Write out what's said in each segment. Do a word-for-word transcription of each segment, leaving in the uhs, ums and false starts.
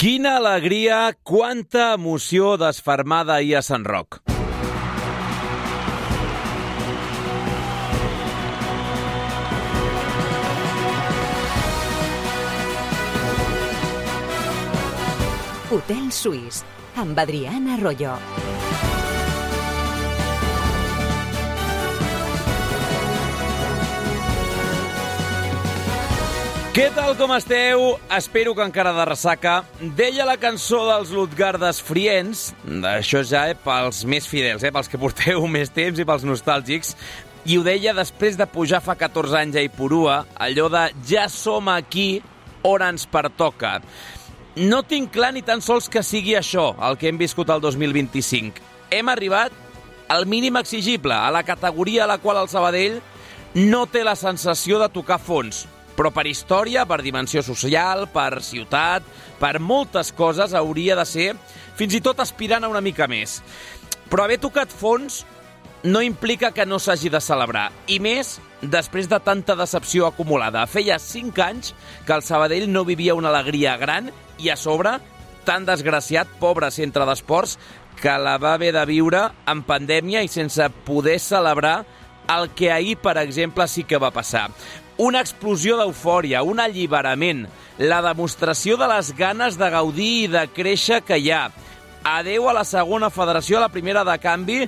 Quina alegria, quanta emoció desfermada ahir a Sant Roc. Hotel Suís, amb Adriana Arroyo. Què tal, com esteu? Espero que encara de ressaca. Deia la cançó dels Lutgardes Friends, això ja eh, pels més fidels, eh, pels que porteu més temps i pels nostàlgics, i ho deia després de pujar fa catorze anys a Ipurua, allò de ja som aquí on ens pertoca. No tinc clar ni tan sols que sigui això el que hem viscut el dos mil vint-i-cinc. Hem arribat al mínim exigible, a la categoria a la qual el Sabadell no té la sensació de tocar fons. Però per història, per dimensió social, per ciutat, per moltes coses hauria de ser fins i tot aspirant a una mica més. Però haver tocat fons no implica que no s'hagi de celebrar, i més després de tanta decepció acumulada. Feia cinc anys que el Sabadell no vivia una alegria gran i a sobre tan desgraciat, pobre centre d'esports, que la va haver de viure en pandèmia i sense poder celebrar el que ahir, per exemple, sí que va passar. Una explosió d'eufòria, un alliberament, la demostració de les ganes de gaudir i de créixer que hi ha. Adeu a la segona federació, a la primera de canvi,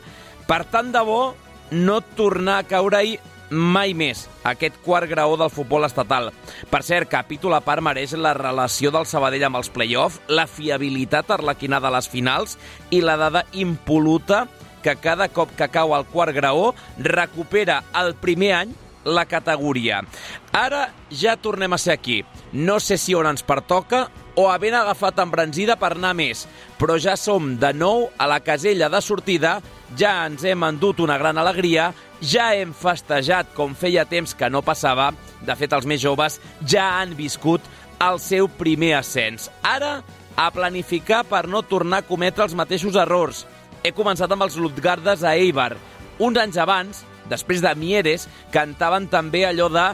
per tant de bo no tornar a caure-hi mai més, aquest quart graó del futbol estatal. Per cert, capítol a part mereix la relació del Sabadell amb els play-off, la fiabilitat arlequinada a les finals i la dada impoluta que cada cop que cau al quart graó recupera el primer any la categoria. Ara ja tornem a ser aquí. No sé si on ens pertoca o havent agafat embranzida per anar més, però ja som de nou a la casella de sortida, ja ens hem endut una gran alegria, ja hem festejat com feia temps que no passava. De fet, els més joves ja han viscut el seu primer ascens. Ara, a planificar per no tornar a cometre els mateixos errors. He començat amb els Lutgardes a Eibar. Uns anys abans, després de Mieres, cantaven també allò de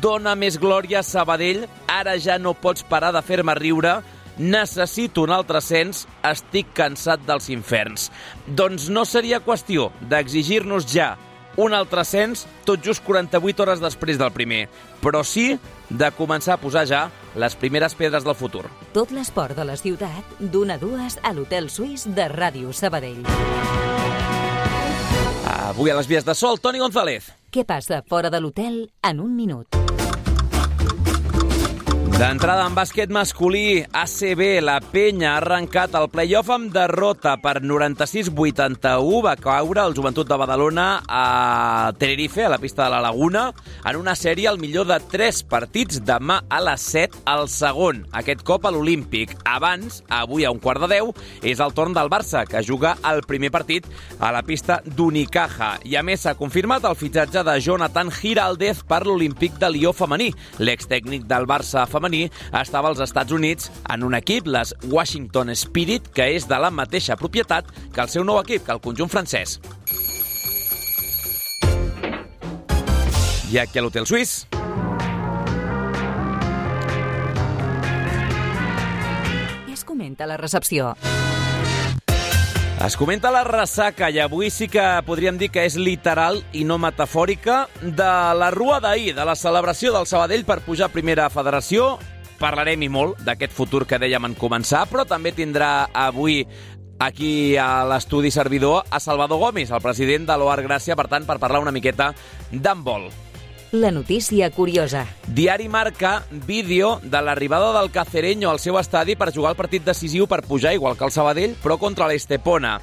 «Dona més glòria, Sabadell, ara ja no pots parar de fer-me riure, necessito un altre ascens, estic cansat dels inferns». Doncs no seria qüestió d'exigir-nos ja un altre ascens tot just quaranta-vuit hores després del primer, però sí de començar a posar ja les primeres pedres del futur. Tot l'esport de la ciutat, d'una a dues a l'Hotel Suís de Ràdio Sabadell. Avui a les vies de sol, Toni González. Què passa fora de l'hotel en un minut? D'entrada en bàsquet masculí, A C B, la Penya ha arrencat el play-off amb derrota per noranta-sis vuitanta-u. Va caure el Joventut de Badalona a Tenerife, a la pista de la Laguna, en una sèrie al millor de tres partits demà a les set, al segon, aquest cop a l'Olímpic. Abans, avui a un quart de deu, és el torn del Barça, que juga el primer partit a la pista d'Unicaja. I a més s'ha confirmat el fitxatge de Jonathan Giraldez per l'Olímpic de Lió femení. L'extècnic del Barça femení estava als Estats Units en un equip, les Washington Spirit, que és de la mateixa propietat que el seu nou equip, que el conjunt francès. I aquí a l'Hotel Suís. I es comenta la recepció. Es comenta la ressaca, i avui sí que podríem dir que és literal i no metafòrica, de la rua d'ahir, de la celebració del Sabadell per pujar a primera federació. Parlarem i molt d'aquest futur que dèiem en començar, però també tindrà avui aquí a l'estudi servidor a Salvador Gomis, el president de l'O A R Gràcia, per tant, per parlar una miqueta d'handbol. La notícia curiosa. Diari Marca, vídeo de l'arribada del Cacereño al seu estadi per jugar el partit decisiu per pujar, igual que el Sabadell, però contra l'Estepona.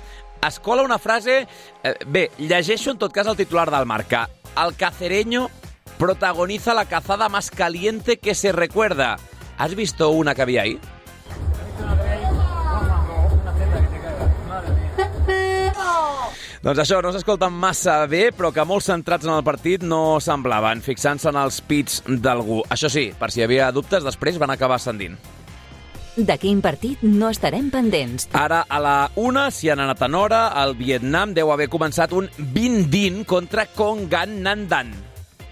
Es cola una frase... Eh, bé, llegeixo en tot cas el titular del Marca. El Cacereño protagoniza la cazada más caliente que se recuerda. ¿Has visto una que había ahí? Doncs això, no s'escolten massa bé, però que molts centrats en el partit no semblaven, fixant-se en els pits d'algú. Això sí, per si hi havia dubtes, després van acabar ascendint. De quin partit no estarem pendents? Ara, a la una, si han anat en hora, el Vietnam deu haver començat un vint vint contra Kongan Nandan.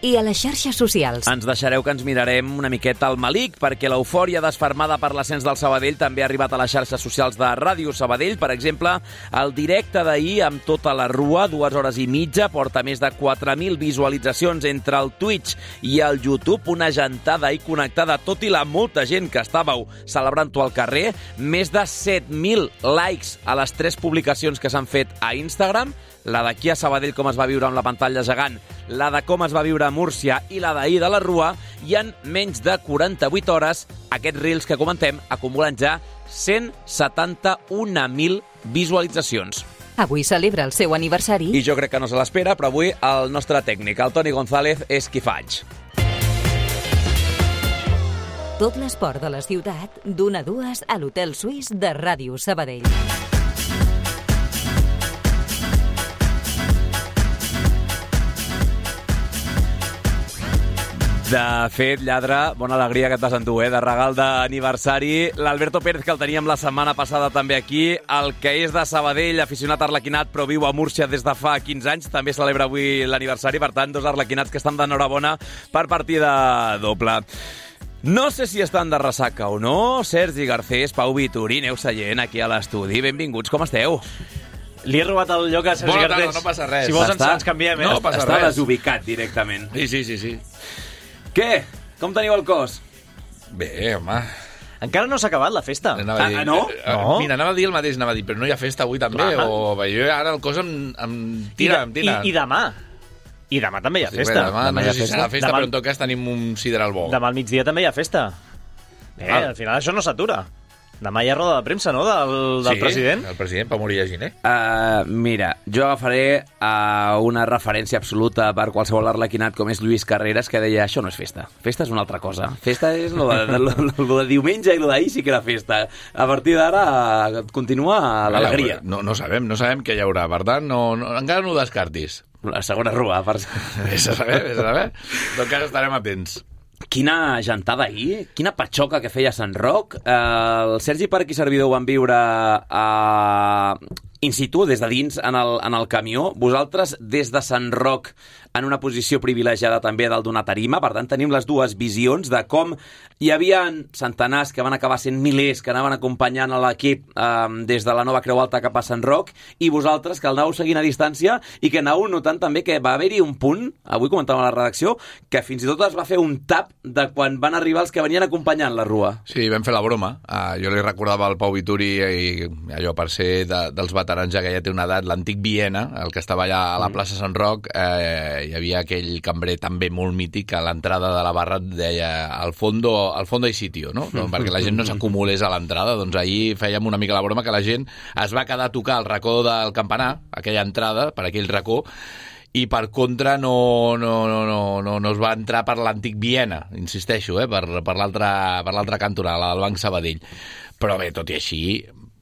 i a les xarxes socials. Ens deixareu que ens mirarem una miqueta al Malik, perquè l'eufòria desfermada per l'ascens del Sabadell també ha arribat a les xarxes socials de Ràdio Sabadell. Per exemple, el directe d'ahir amb tota la rua, dues hores i mitja, porta més de quatre mil visualitzacions entre el Twitch i el YouTube, una gentada i connectada, tot i la molta gent que estàveu celebrant-ho al carrer, més de set mil likes a les tres publicacions que s'han fet a Instagram, la d'aquí a Sabadell, com es va viure amb la pantalla gegant, la de com es va viure a Múrcia i la d'ahir de la Rua, i en menys de quaranta-vuit hores aquests reels que comentem acumulen ja cent setanta-un mil visualitzacions. Avui celebra el seu aniversari. I jo crec que no se l'espera, però avui el nostre tècnic, el Toni González, és qui faig. Tot l'esport de la ciutat, d'una a dues a l'Hotel Suís de Ràdio Sabadell. De fet, lladre, bona alegria que et vas endur, eh? De regal d'aniversari. L'Alberto Pérez, que el teníem la setmana passada també aquí, el que és de Sabadell, aficionat arlequinat, però viu a Múrcia des de fa quinze anys, també celebra avui l'aniversari, per tant, dos arlequinats que estan d'enhorabona per partida doble. No sé si estan de ressaca o no. Sergi Garcés, Pau Vituri, Neus Sallent, aquí a l'estudi. Benvinguts, com esteu? Li he robat el lloc a Sergi Bona Garcés. tarda, no passa res. Si vols ens, Està- ens canviem, eh? No passa Està res. desubicat directament. Sí, sí, sí, sí. Què? Com teniu el cos? Bé, home. Encara no s'ha acabat la festa. Anava a dir, Ah, no? eh, No. Mira, anava a dir el mateix, anava a dir, però no hi ha festa avui també? Clar. O jo ara el cos em, em tira, em I, tira. de, i, I demà. I demà també hi ha Sí, festa. bé, demà, Demà no hi ha sé si festa. serà festa, Demà- però en tot cas tenim un sideral bo. Demà al migdia també hi ha festa. Bé, Ah. al final això no s'atura. Demà hi ha roda de premsa, no?, del, del sí, president. el president, Pau Moria Giner. Uh, mira, jo agafaré uh, una referència absoluta per qualsevol arlequinat com és Lluís Carreras, que deia, això no és festa, festa és una altra cosa. Festa és lo de, lo, lo, lo de diumenge i lo d'ahir sí que era festa. A partir d'ara uh, continua l'alegria. No, no sabem, no sabem què hi haurà, per tant, no, no, encara no ho descartis. La segona rua, per... Vés a saber, vés a saber. En tot cas estarem atents. Quina gentada ahir, quina patxoca que feia Sant Roc. Eh, el Sergi Parc i servidor ho van viure a... in situ, des de dins, en el, en el camió. Vosaltres, des de Sant Roc, en una posició privilegiada també dalt d'una tarima. Per tant, tenim les dues visions de com hi havia centenars que van acabar sent milers que anaven acompanyant a l'equip eh, des de la Nova Creu Alta cap a Sant Roc, i vosaltres, que el anàveu seguint a distància i que anàveu notant també que va haver-hi un punt, avui comentàvem a la redacció, que fins i tot es va fer un tap de quan van arribar els que venien acompanyant la rua. Sí, vam fer la broma. Uh, jo li recordava al Pau Vituri, i allò per ser de, dels veterans ja que ja té una edat, l'antic Viena, el que estava allà a la plaça Sant Roc, eh, hi havia aquell cambrer també molt mític a l'entrada de la barra, et deia al fondo, al fondo hay sitio, no? no? Perquè la gent no s'acumulés a l'entrada. Doncs ahir fèiem una mica la broma que la gent es va quedar a tocar al racó del campanar, aquella entrada, per aquell racó, i per contra no, no, no, no, no, no es va entrar per l'antic Viena, insisteixo, eh, per, per l'altra per l'altra cantonada, la del Banc Sabadell. Però bé, tot i així,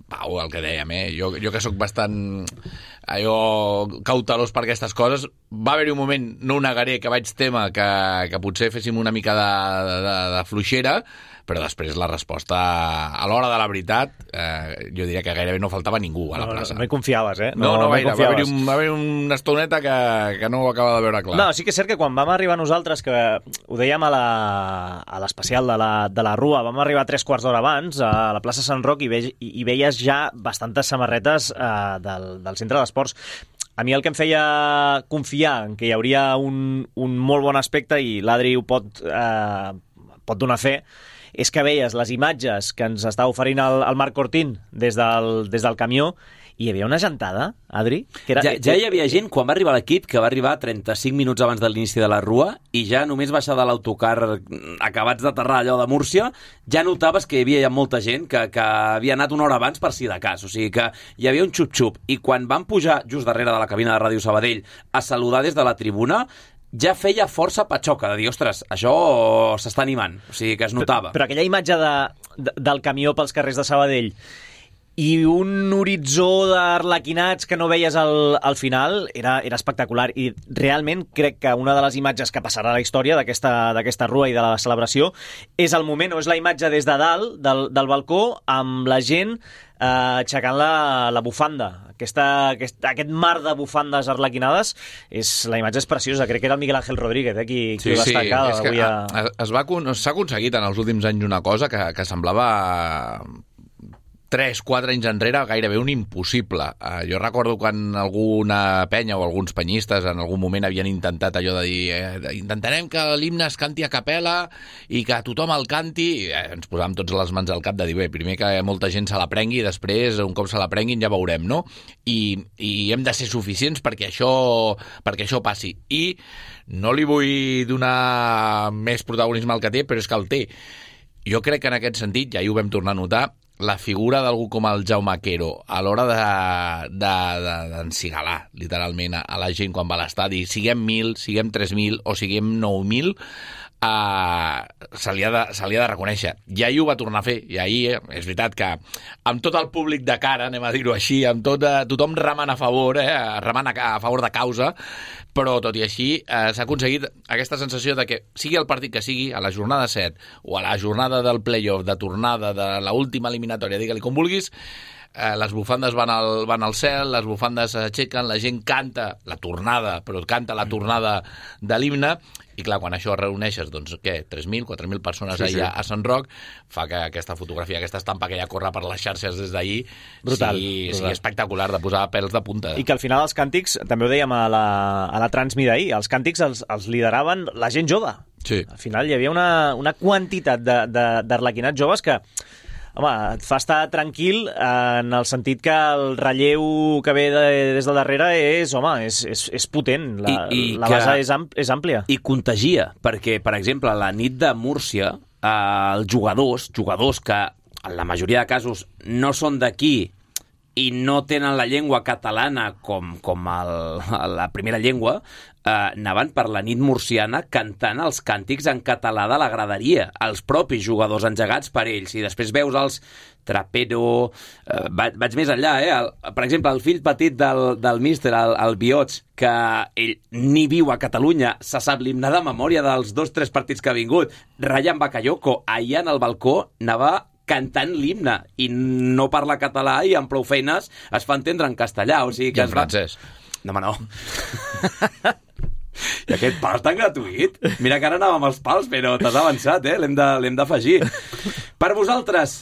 Pau, el que dèiem, eh? jo, jo que sóc bastant allò cautelós per aquestes coses, va haver-hi un moment, no ho negaré, que vaig témer que, que potser féssim una mica de, de, de fluixera, però després la resposta, a l'hora de la veritat, eh, jo diria que gairebé no faltava ningú a la No, no, plaça. no hi confiaves, eh? No, no, no hi gaire. Va haver-hi confiaves. un, va haver una estoneta que, que no ho acaba de veure clar. No, sí que és cert que quan vam arribar nosaltres, que ho dèiem a la- a l'especial de, la, de la Rua, vam arribar tres quarts d'hora abans a la plaça Sant Roc i, ve, i, i veies ja bastantes samarretes eh, del, del centre d'esports. A mi el que em feia confiar en que hi hauria un, un molt bon aspecte, i l'Adri ho pot, eh, pot donar fe, és que veies les imatges que ens està oferint el, el Marc Cortín des del, des del camió, i hi havia una gentada, Adri, que era... Ja, ja hi havia gent, quan va arribar l'equip, que va arribar trenta-cinc minuts abans de l'inici de la Rua, i ja només baixar de l'autocar acabats d'aterrar allò de Múrcia, ja notaves que hi havia ja molta gent que, que havia anat una hora abans per si de cas. O sigui que hi havia un xup-xup. I quan van pujar just darrere de la cabina de Ràdio Sabadell a saludar des de la tribuna, ja feia força patxoca de dir, ostres, això s'està animant. O sigui que es notava. Però aquella imatge de, de, del camió pels carrers de Sabadell i un horitzó d'arlequinats que no veies al, al final era, era espectacular, i realment crec que una de les imatges que passarà a la història d'aquesta d'aquesta Rua i de la celebració és el moment, o és la imatge des de dalt del, del balcó, amb la gent eh, aixecant la, la bufanda. Aquesta, aquest, aquest mar de bufandes arlequinades, és, la imatge és preciosa. Crec que era el Miguel Ángel Rodríguez, eh, qui, qui sí, ho va destacar. Sí, és que a... a, es va, s'ha aconseguit en els últims anys una cosa que, que semblava tres, quatre anys enrere gairebé un impossible. Uh, jo recordo quan alguna penya o alguns penyistes en algun moment havien intentat allò de dir eh, intentarem que l'himne es canti a capella i que tothom el canti, i eh, ens posàvem tots les mans al cap de dir, bé, primer que molta gent se l'aprengui i després, un cop se l'aprenguin, ja veurem, no? I, i hem de ser suficients perquè això, perquè això passi. I no li vull donar més protagonisme al que té, però és que el té. Jo crec que en aquest sentit, ja hi ho vam tornar a notar, la figura d'algú com el Jaume Quero a l'hora d'encigalar, de, de, literalment, a la gent quan va a l'estadi, siguem mil, siguem tres mil o siguem nou mil, Uh, se, li ha de, se li ha de reconèixer. I ahir ho va tornar a fer, i ahir eh, és veritat que amb tot el públic de cara, anem a dir-ho així, amb tot, uh, tothom remant a favor, eh, remant a, a favor de causa, però tot i així uh, s'ha aconseguit aquesta sensació de que sigui el partit que sigui, a la jornada set o a la jornada del play-off, de tornada, de l'última eliminatòria, digue-li com vulguis, Eh, les bufandes van al, van al cel, les bufandes s'aixequen, la gent canta la tornada, però canta la tornada de l'himne, i clar, quan això reuneixes, doncs què, tres mil, quatre mil persones sí, allà sí. a Sant Roc, fa que aquesta fotografia, aquesta estampa que ja corre per les xarxes des d'ahir brutal, sigui, brutal. sigui espectacular, de posar pèls de punta. I que al final els càntics, també ho dèiem a la, a la Transmi d'ahir, els càntics els, els lideraven la gent jove. Sí. Al final hi havia una, una quantitat d'arlequinats de, de, joves que home, et fa estar tranquil en el sentit que el relleu que ve de, des de darrere és, home, és, és, és potent. La, I, i la base és, ampl, és àmplia. I contagia, perquè, per exemple, la nit de Múrcia, eh, els jugadors, jugadors que en la majoria de casos no són d'aquí i no tenen la llengua catalana com, com el, la primera llengua, eh, anaven per la nit murciana cantant els càntics en català de la graderia, els propis jugadors engegats per ells, i després veus els Trapero, eh, vaig, vaig més enllà, eh? El, per exemple, el fill petit del, del míster, el, el Biots, que ell ni viu a Catalunya, se sap l'himne de memòria dels dos tres partits que ha vingut, Ryan Bakayoko, ahir en el balcó anava cantant l'himne, i no parla català i amb prou feines es fa entendre en castellà. O sigui que I en francès. Va... No, home, no. I aquest pal tan gratuït. Mira que ara anàvem als pals, però t'has avançat, eh? L'hem de, l'hem d'afegir. Per vosaltres,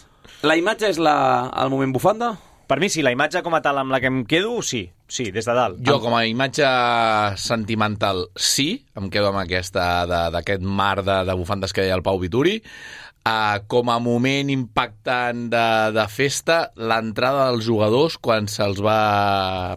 la imatge és la, el moment bufanda? Per mi sí, la imatge com a tal amb la que em quedo, sí. Sí, des de dalt. Jo, com a imatge sentimental, sí. Em quedo amb aquesta, d'aquest mar de, de bufandes que deia el Pau Vituri. Uh, com a moment impactant de, de festa, l'entrada dels jugadors quan se'ls va...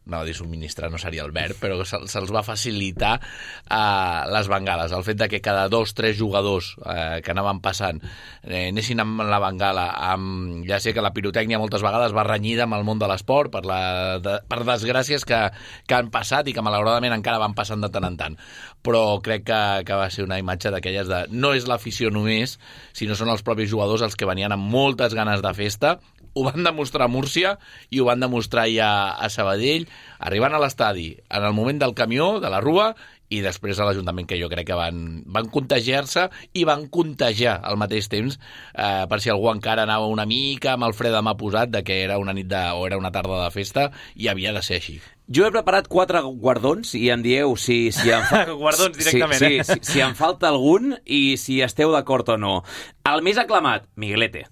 no, dir subministrar no seria el verb, però se, se'ls va facilitar uh, les bengales. El fet de que cada dos, tres jugadors uh, que anaven passant eh, anessin amb la bengala, amb, ja sé que la pirotècnia moltes vegades va renyida amb el món de l'esport per, la, de, per desgràcies que, que han passat i que malauradament encara van passant de tant en tant. Però crec que, que va ser una imatge d'aquelles de... no és l'afició només, sinó són els propis jugadors els que venien amb moltes ganes de festa. Ho van demostrar a Múrcia i ho van demostrar ja a Sabadell, arribant a l'estadi en el moment del camió, de la rua, i després a l'Ajuntament, que jo crec que van, van contagiar-se i van contagiar al mateix temps, eh, per si algú encara anava una mica amb el fre de mà posat de que era una nit de, o era una tarda de festa, i havia de ser així. Jo he preparat quatre guardons i em dieu si, si em fa... guardons directament, sí, eh? Sí, si, si em falta algun i si esteu d'acord o no. El més aclamat, Miguelete.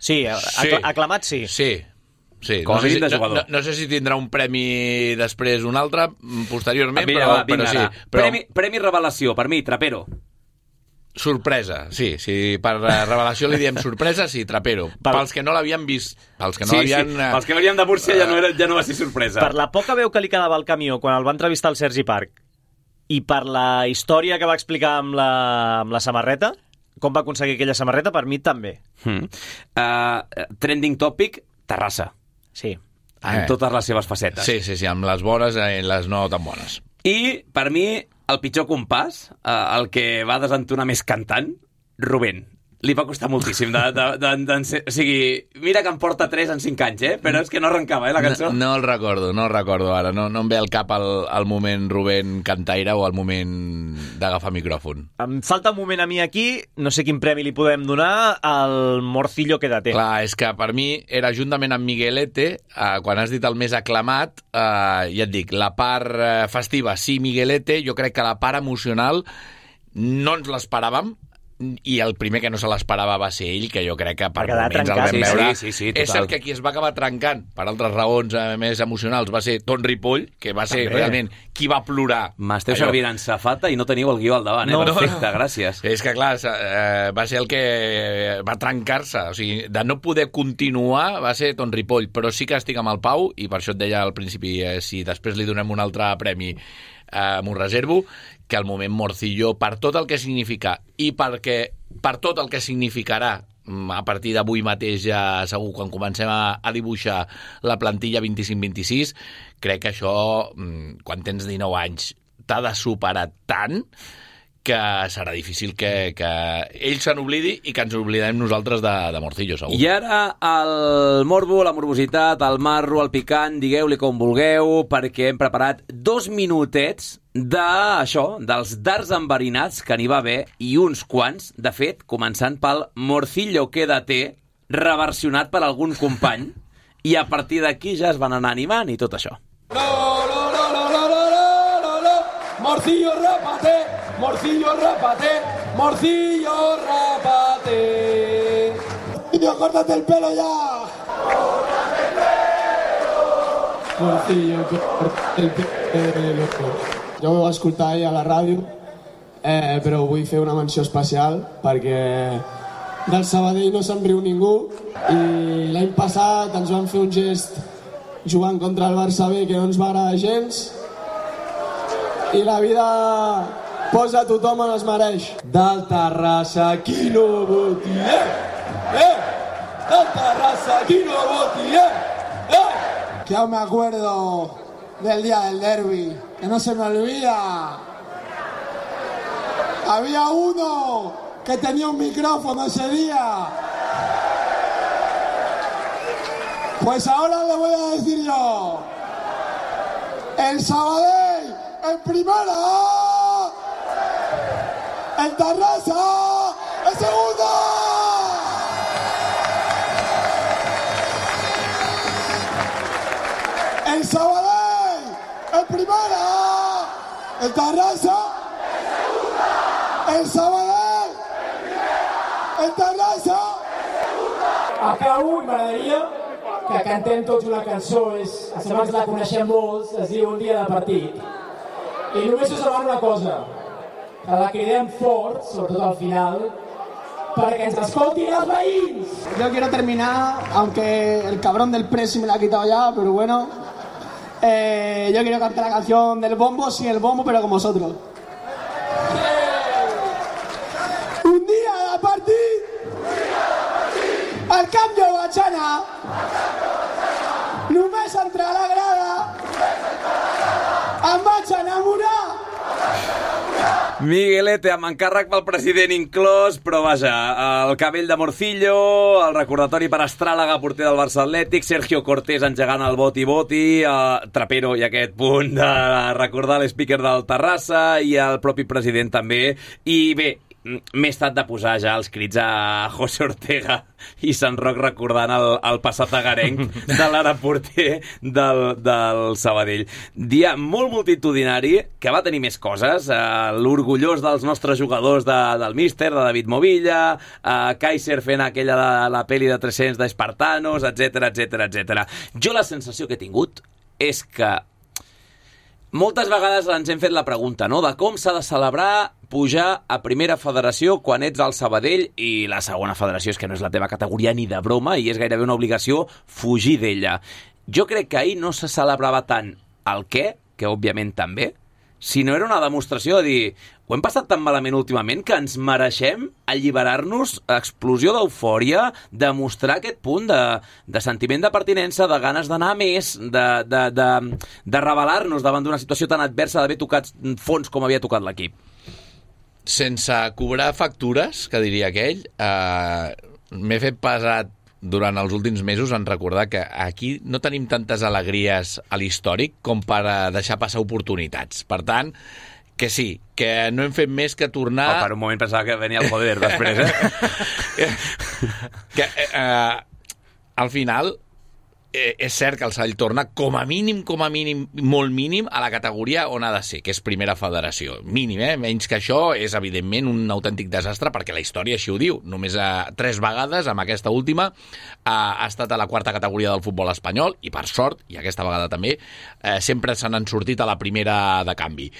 Sí, acla aclamat sí. Sí, sí. Com no, sé si, de no, no, no sé si tindrà un premi després un altre, posteriorment, vinga, però, va, vinga, però sí. Però... Premi, premi revelació, per mi, Trapero. Sorpresa, sí, sí, per revelació li diem sorpresa, sí, Trapero. Per... Pels que no l'havien vist, pels que no sí, l'havien... Sí, pels que veníem de Múrcia ja no, era, ja no va ser sorpresa. Per la poca veu que li quedava al camió quan el va entrevistar el Sergi Parc i per la història que va explicar amb la, amb la samarreta, com va aconseguir aquella samarreta, per mi també. Hmm. Uh, trending topic, Terrassa. Sí. En eh. totes les seves facetes. Sí, sí, sí, amb les bones i les no tan bones. I, per mi, el pitjor compàs, eh, el que va desentonar més cantant, Rubén. li va costar moltíssim. De, de, de, de, de, o sigui, mira que em porta tres en cinc anys, eh? Però és que no arrencava, eh, la cançó. No, no el recordo, no el recordo ara. No, no em ve al cap el, el moment Rubén cantaire o el moment d'agafar micròfon. Em falta un moment a mi aquí, no sé quin premi li podem donar, al Morcillo Quédate. Clar, és que per mi era juntament amb Miguelete, eh, quan has dit el més aclamat, eh, ja et dic, la part eh, festiva sí Miguelete, jo crec que la part emocional no ens l'esperàvem, i el primer que no se l'esperava va ser ell, que jo crec que per moments el vam sí, veure. Sí, sí, sí, total. És cert que qui es va acabar trencant per altres raons eh, més emocionals va ser Ton Ripoll, que va ser També. realment qui va plorar. M'esteu Allò... servint en safata i no teniu el guió al davant, eh? No, Perfecte, no, no. gràcies. És que, clar, eh, va ser el que va trencar-se. O sigui, de no poder continuar va ser Ton Ripoll, però sí que estic amb el Pau, i per això et deia al principi, eh, si després li donem un altre premi, eh, m'ho reservo, que el moment Morcillo, per tot el que significa i perquè per tot el que significarà a partir d'avui mateix, ja segur, quan comencem a, a dibuixar la plantilla vint-i-cinc vint-i-sis, crec que això, quan tens dinou anys, t'ha de superar tant que serà difícil que, que ell se n'oblidi i que ens oblidem nosaltres de, de Morcillo, segur. I ara el morbo, la morbositat, el marro, el picant, digueu-li com vulgueu, perquè hem preparat dos minutets d'això, dels dards enverinats, que n'hi va haver, i uns quants, de fet, començant pel Morcillo Quédate, reversionat per algun company, i a partir d'aquí ja es van anar animant i tot això. No, no, no, no, no, no, no, no, Morcillo, rápate, Morcillo, rápate, Morcillo, rápate. Morcillo, córtate el pelo ya. Córtate el pelo. Morcillo, córtate el pelo. Jo ho vaig escoltar ahir a la ràdio, eh, però vull fer una menció especial perquè del Sabadell no se'n riu ningú i l'any passat ens van fer un gest jugant contra el Barça B que no ens va agradar gens i la vida posa a tothom on es mereix. Del Terrassa, qui no voti, eh? Eh! Del Terrassa, qui no voti, eh? Eh! Que aún me acuerdo del día del derbi, que no se me olvida. Había uno que tenía un micrófono ese día. Pues ahora le voy a decir yo. El Sabadell en primera. El Terrassa en segunda. El Sabadell en primera, el Terrassa en segunda, el Sabadell en primera, el Terrassa en segunda. Acabo i m'agradaria que cantem tots una cançó, és, abans la coneixem molts, es diu Un dia de partit. I només us demano una cosa, que la cridem fort, sobretot al final, perquè ens escoltin els veïns. Yo quiero terminar, aunque el cabrón del presi me la ha quitado ya, pero bueno. Eh, yo quiero cantar la canción del bombo, sin el bombo, pero con vosotros. Un día de partir, al cambio Bachana, només entrar a la grada, em vaig enamorar. Miguelete, amb encàrrec pel president inclòs, però vaja, el cabell de Morcillo, el recordatori per Astràlaga, porter del Barça Atlètic, Sergio Cortés engegant el boti-boti, el Trapero i aquest punt de recordar l'speaker del Terrassa i el propi president també. I bé, m'he estat de posar ja els crits a José Ortega i Sant Roc recordant el, el passat agarenc de l'ara porter del, del Sabadell. Dia molt multitudinari, que va tenir més coses, eh, l'orgullós dels nostres jugadors de, del míster, de David Movilla, eh, Kaiser fent aquella de la peli de tres-cents d'Espartanos, etcètera, etcètera, etcètera. Jo la sensació que he tingut és que moltes vegades ens hem fet la pregunta, no?, de com s'ha de celebrar pujar a primera federació quan ets al Sabadell i la segona federació és que no és la teva categoria ni de broma i és gairebé una obligació fugir d'ella. Jo crec que ahir no se celebrava tant el què, que òbviament també, sinó era una demostració de dir ho hem passat tan malament últimament que ens mereixem alliberar-nos, explosió d'eufòria, demostrar aquest punt de, de sentiment de pertinença, de ganes d'anar més, de, de, de, de rebel·lar-nos davant d'una situació tan adversa d'haver tocat fons com havia tocat l'equip. sense cobrar factures, que diria aquell, eh, m'he fet pesat durant els últims mesos en recordar que aquí no tenim tantes alegries a l'històric com per deixar passar oportunitats. Per tant, que sí, que no hem fet més que tornar... Oh, per un moment pensava que venia el poder després, eh? que eh, al final eh, és cert que el Sall torna com a mínim, com a mínim, molt mínim a la categoria on ha de ser, que és primera federació. Mínim, eh? Menys que això és evidentment un autèntic desastre perquè la història així ho diu. Només a tres vegades, amb aquesta última, ha, ha estat a la quarta categoria del futbol espanyol i per sort, i aquesta vegada també, eh, sempre se n'han sortit a la primera de canvi.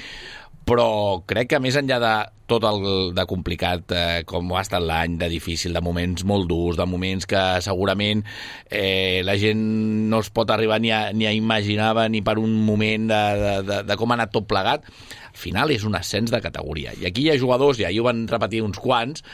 Però crec que més enllà de tot el de complicat eh, com ha estat l'any, de difícil, de moments molt durs, de moments que segurament eh, la gent no es pot arribar ni a, ni a imaginar ni per un moment de, de, de, de com ha anat tot plegat, al final és un ascens de categoria. I aquí hi ha jugadors, i ahir ho van repetir uns quants,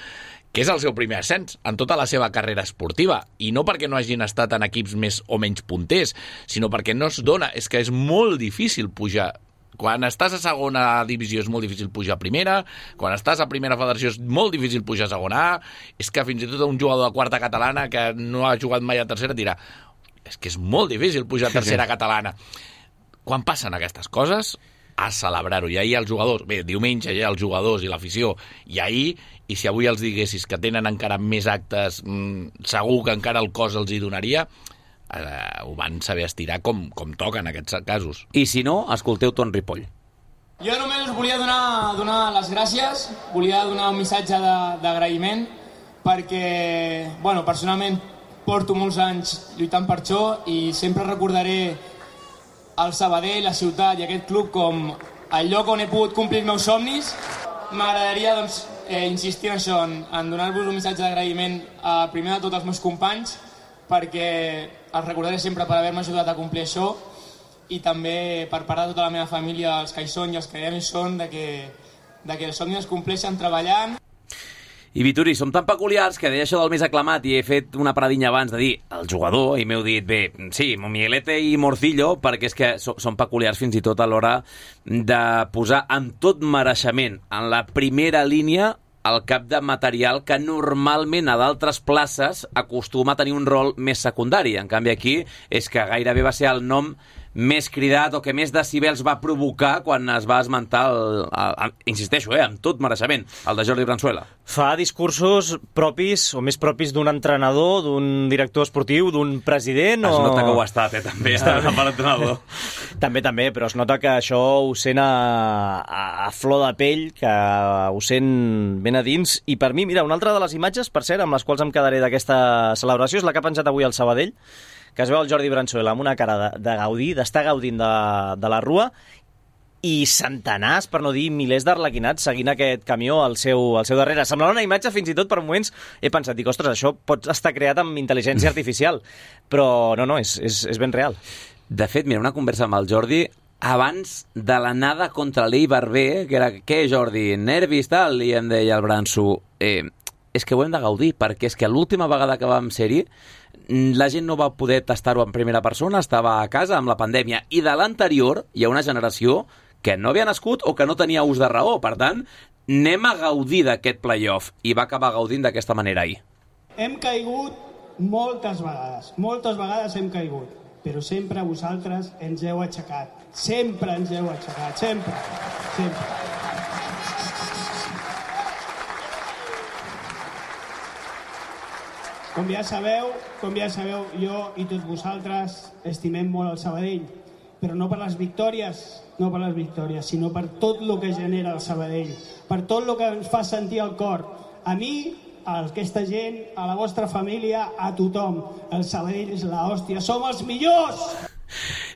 que és el seu primer ascens en tota la seva carrera esportiva, i no perquè no hagin estat en equips més o menys punters, sinó perquè no es dona, és que és molt difícil pujar. Quan estàs a segona divisió és molt difícil pujar a primera, quan estàs a primera federació és molt difícil pujar a segona A, és que fins i tot un jugador de quarta catalana que no ha jugat mai a tercera dirà és que és molt difícil pujar a tercera catalana. Quan passen aquestes coses, a celebrar-ho. I ahir els jugadors, bé, diumenge ja els jugadors i l'afició, i ahir, i si avui els diguessis que tenen encara més actes, mmm, segur que encara el cos els hi donaria, Uh, ho van saber estirar com, com toca en aquests casos. I si no, escolteu Ton Ripoll. Jo només us volia donar, donar les gràcies, volia donar un missatge d'agraïment, perquè, bueno, personalment porto molts anys lluitant per això i sempre recordaré el Sabadell, la ciutat i aquest club com el lloc on he pogut complir els meus somnis. M'agradaria, doncs, eh, insistir en això, en, en donar-vos un missatge d'agraïment a primer de tots els meus companys, perquè els recordaré sempre per haver-me ajudat a complir això, i també per part de tota la meva família, els que hi són i els que ja no hi són, de que, de que els somnis es compleixen treballant. I Vituri, som tan peculiars que deia això del més aclamat i he fet una paradinha abans de dir el jugador i m'heu dit, bé, sí, Miguelete i Morcillo, perquè és que so, són peculiars fins i tot a l'hora de posar amb tot mereixement en la primera línia el cap de material que normalment a d'altres places acostuma a tenir un rol més secundari. En canvi aquí és que gairebé va ser el nom més cridat o que més decibels va provocar quan es va esmentar, el, el, el, insisteixo, eh, amb tot mereixement, el de Jordi Branzuela. Fa discursos propis o més propis d'un entrenador, d'un director esportiu, d'un president o... Es nota que ho ha estat, eh, també, està per l'entrenador. També, també, però es nota que això ho sent a, a, a flor de pell, que ho sent ben a dins. I per mi, mira, una altra de les imatges, per cert, amb les quals em quedaré d'aquesta celebració, és la que ha penjat avui al Sabadell, que es veu el Jordi Branzuela amb una cara de, de gaudir, d'estar gaudint de, de la rua, i centenars, per no dir milers d'arlequinats seguint aquest camió al seu, al seu darrere. Semblava una imatge, fins i tot per moments he pensat, dic, ostres, això pot estar creat amb intel·ligència artificial, però no, no, és, és, és ben real. De fet, mira, una conversa amb el Jordi abans de l'anada contra l'Eibar B, que era, què, Jordi, nervis, tal? I em deia el Branzu, eh, és que ho hem de gaudir, perquè és que l'última vegada que vam ser-hi la gent no va poder tastar-ho en primera persona, estava a casa amb la pandèmia, i de l'anterior hi ha una generació que no havia nascut o que no tenia ús de raó. Per tant, anem a gaudir d'aquest play-off, i va acabar gaudint d'aquesta manera ahir. Hem caigut moltes vegades, moltes vegades hem caigut, però sempre vosaltres ens heu aixecat, sempre ens heu aixecat, sempre, sempre. Com ja sabeu, com ja sabeu, jo i tots vosaltres estimem molt el Sabadell, però no per les victòries, no per les victòries, sinó per tot el que genera el Sabadell, per tot el que ens fa sentir el cor. A mi, a aquesta gent, a la vostra família, a tothom. El Sabadell és l'hòstia, som els millors!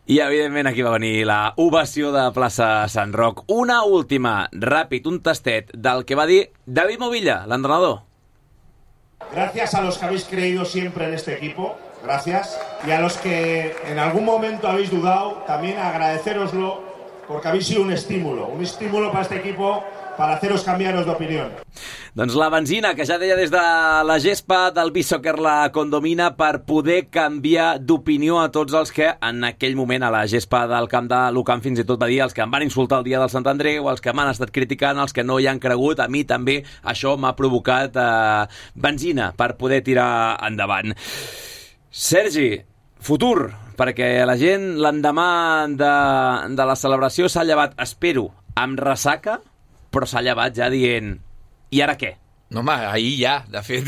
I, evidentment, aquí va venir la ovació de plaça Sant Roc. Una última, ràpid, un tastet del que va dir David Movilla, l'entrenador. Gracias a los que habéis creído siempre en este equipo, gracias. Y a los que en algún momento habéis dudado, también agradeceroslo, porque habéis sido un estímulo, un estímulo para este equipo, para haceros cambiaros de opinión. Doncs la benzina, que ja deia des de la gespa del Beach Soccer la condomina per poder canviar d'opinió a tots els que en aquell moment a la gespa del camp de l'Ucamp fins i tot va dir els que em van insultar el dia del Sant Andreu, els que m'han estat criticant, els que no hi han cregut, a mi també això m'ha provocat eh, benzina per poder tirar endavant. Sergi, futur, perquè la gent l'endemà de, de la celebració s'ha llevat, espero, amb ressaca, però s'ha llevat ja dient i ara què? No, home, ahir ja, de fet.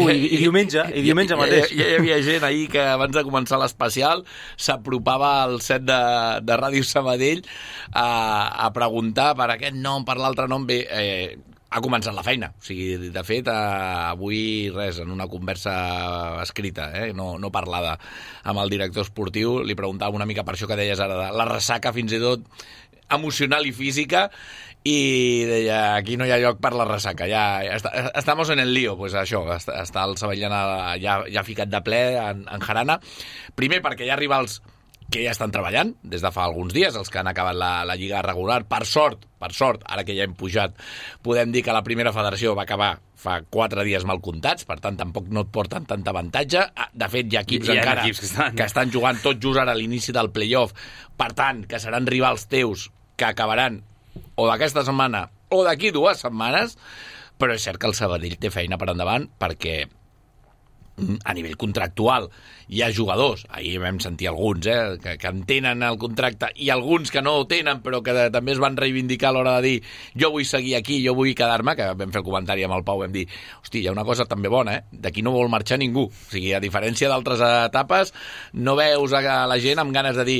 Ui, i diumenge, i diumenge mateix. Ja, ja, ja hi havia gent ahir que abans de començar l'especial s'apropava al set de, de Ràdio Sabadell a, a preguntar per aquest nom, per l'altre nom. Bé, eh, ha començat la feina. O sigui, de fet, eh, avui, res, en una conversa escrita, eh, no, no parlada amb el director esportiu, li preguntava una mica per això que deies ara, de la ressaca fins i tot emocional i física, i deia, aquí no hi ha lloc per la ressaca, ja, ja està, estamos en el lío, pues això, està, està el Savallana ja, ja ficat de ple en, en jarana, primer perquè hi ha rivals que ja estan treballant des de fa alguns dies, els que han acabat la, la lliga regular, per sort, per sort, ara que ja hem pujat, podem dir que la primera federació va acabar fa quatre dies mal comptats, per tant tampoc no et porten tant avantatge, de fet hi ha equips hi ha encara equips que, estan... que estan jugant tot just ara a l'inici del playoff, per tant que seran rivals teus que acabaran o d'aquesta setmana o d'aquí dues setmanes, però és cert que el Sabadell té feina per endavant perquè a nivell contractual hi ha jugadors, ahir vam sentir alguns eh, que, que en tenen el contracte i alguns que no ho tenen però que de, també es van reivindicar a l'hora de dir jo vull seguir aquí, jo vull quedar-me, que vam fer el comentari amb el Pau, vam dir, hosti, hi ha una cosa també bona, eh? D'aquí no vol marxar ningú, o sigui, a diferència d'altres etapes no veus a la gent amb ganes de dir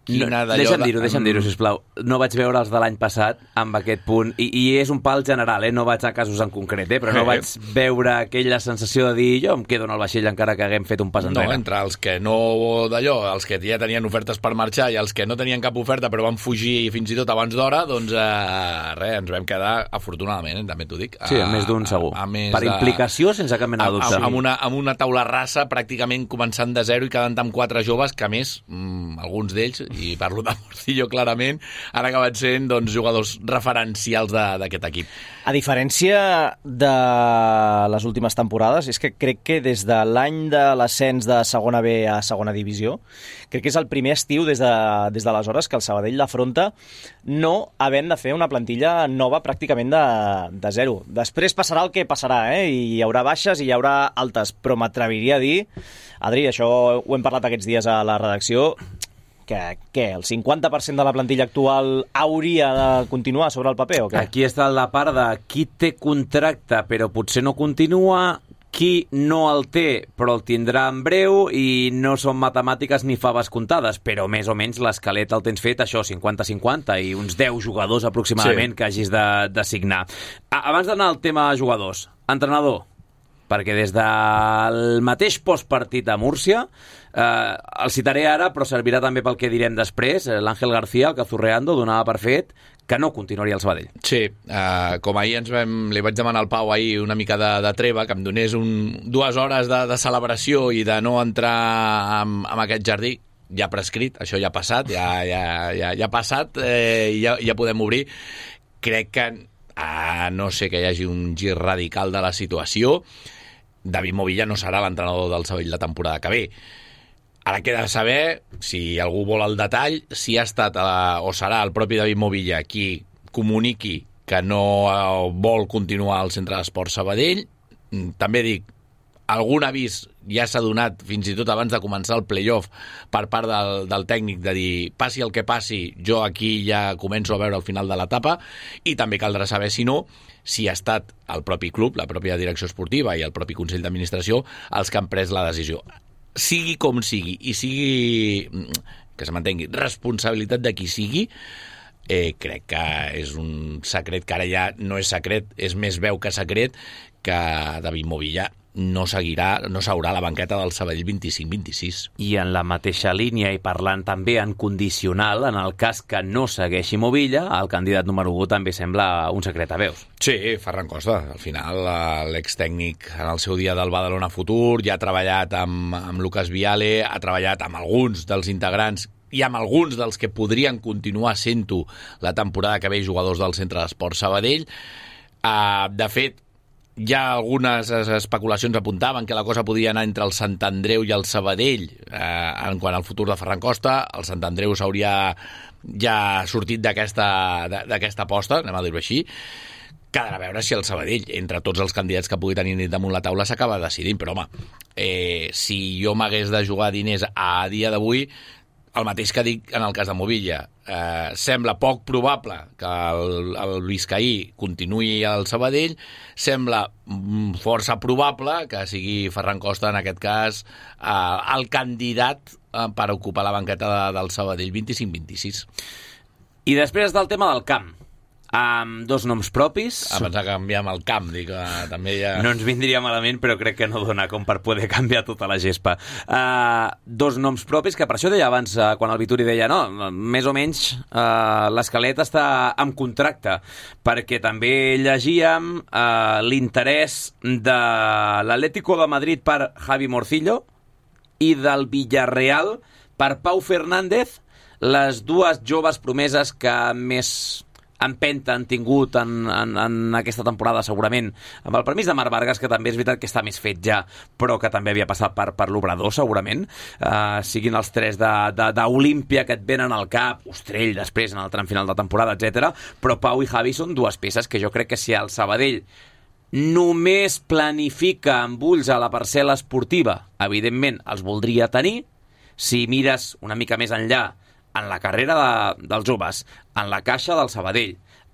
No, deixa'm dir-ho, deixa'm dir-ho, sisplau. No vaig veure els de l'any passat amb aquest punt, i, i és un pal general, eh? No vaig a casos en concret, eh? Però no vaig veure aquella sensació de dir jo em quedo en el vaixell encara que haguem fet un pas enrere. No, entre els que no d'allò, els que ja tenien ofertes per marxar i els que no tenien cap oferta però van fugir fins i tot abans d'hora, doncs eh, res, ens vam quedar, afortunadament, eh? També t'ho dic. Sí, a, a més d'un segur. A, a més per implicació, de... sense cap mena de dubte. Amb una, amb una taula rasa pràcticament començant de zero i quedant amb quatre joves que, a més, mmm, alguns d'ells, i parlo de Morcillo clarament, han acabat sent doncs, jugadors referencials d'aquest equip. A diferència de les últimes temporades, és que crec que des de l'any de l'ascens de segona B a segona divisió, crec que és el primer estiu des de, des d'aleshores que el Sabadell l'afronta no havent de fer una plantilla nova pràcticament de, de zero. Després passarà el que passarà, eh? I hi haurà baixes i hi haurà altes, però m'atreviria a dir, Adri, això ho hem parlat aquests dies a la redacció, que què, el cinquanta per cent de la plantilla actual hauria de continuar sobre el paper o què? Aquí està la part de qui té contracte però potser no continua, qui no el té però el tindrà en breu, i no són matemàtiques ni faves comptades, però més o menys l'esquelet el tens fet, això, cinquanta cinquanta, i uns deu jugadors aproximadament sí. que hagis de, de signar. Abans d'anar al tema jugadors, entrenador, perquè des del mateix postpartit a Múrcia, eh, el citaré ara, però servirà també pel que direm després, l'Àngel García, el Cazurreando, donava per fet que no continuaria al Sabadell. Sí, eh, com ahir ens vam, li vaig demanar al Pau ahir una mica de, de treva, que em donés un, dues hores de, de celebració i de no entrar en, en aquest jardí, ja prescrit, això ja ha passat, ja, ja, ja, ja ha passat, eh, ja, ja podem obrir. Crec que, a no sé que hi hagi un gir radical de la situació, David Movilla no serà l'entrenador del Sabadell la temporada que ve. Ara queda saber, si algú vol el detall, si ha estat a, o serà el propi David Movilla qui comuniqui que no vol continuar al Centre d'Esports Sabadell. També dic, algun avís ja s'ha donat fins i tot abans de començar el playoff per part del, del tècnic de dir passi el que passi, jo aquí ja començo a veure el final de l'etapa, i també caldrà saber si no si ha estat el propi club, la pròpia direcció esportiva i el propi Consell d'Administració els que han pres la decisió. Sigui com sigui, i sigui, que se m'entengui, responsabilitat de qui sigui, eh, crec que és un secret que ara ja no és secret, és més veu que secret, que David Movilla no seguirà, no seurà a la banqueta del Sabadell vint-i-cinc vint-i-sis. I en la mateixa línia, i parlant també en condicional, en el cas que no segueixi Movilla, el candidat número u també sembla un secret a veus. Sí, Ferran Costa. Al final, l'extècnic en el seu dia del Badalona Futur ja ha treballat amb, amb Lucas Viale, ha treballat amb alguns dels integrants i amb alguns dels que podrien continuar sent-ho la temporada que ve jugadors del Centre d'Esports Sabadell. Uh, de fet, ja algunes especulacions apuntaven que la cosa podia anar entre el Sant Andreu i el Sabadell eh, en quant al futur de Ferran Costa. El Sant Andreu s'hauria ja sortit d'aquesta d'aquesta aposta, anem a dir-ho així. Quedarà a veure si el Sabadell, entre tots els candidats que pugui tenir damunt la taula, s'acaba decidint. Però, home, eh, si jo m'hagués de jugar diners a dia d'avui, el mateix que dic en el cas de Movilla. Eh, sembla poc probable que el, el Vizcaí continuï al Sabadell, sembla força probable que sigui Ferran Costa, en aquest cas, eh, el candidat eh, per ocupar la banqueta de, del Sabadell vint-i-cinc vint-i-sis. I després del tema del camp, amb dos noms propis. Abans de canviar amb el camp, dic, uh, també ja... No ens vindria malament, però crec que no dona com per poder canviar tota la gespa. Uh, dos noms propis, que per això deia abans, uh, quan el Vituri deia, no, més o menys uh, l'esquelet està en contracte, perquè també llegíem uh, l'interès de l'Atlético de Madrid per Javi Morcillo i del Villarreal per Pau Fernández, les dues joves promeses que més empenta han tingut en, en, en aquesta temporada, segurament, amb el permís de Marc Vargas, que també és veritat que està més fet ja, però que també havia passat per, per l'Obrador, segurament. Uh, siguin els tres d'Olímpia que et venen al cap, Ostrell després en el tram final de temporada, etcètera. Però Pau i Javi són dues peces que jo crec que si el Sabadell només planifica amb ulls a la parcel·la esportiva, evidentment els voldria tenir. Si mires una mica més enllà en la carrera de, dels joves, en la caixa del Sabadell,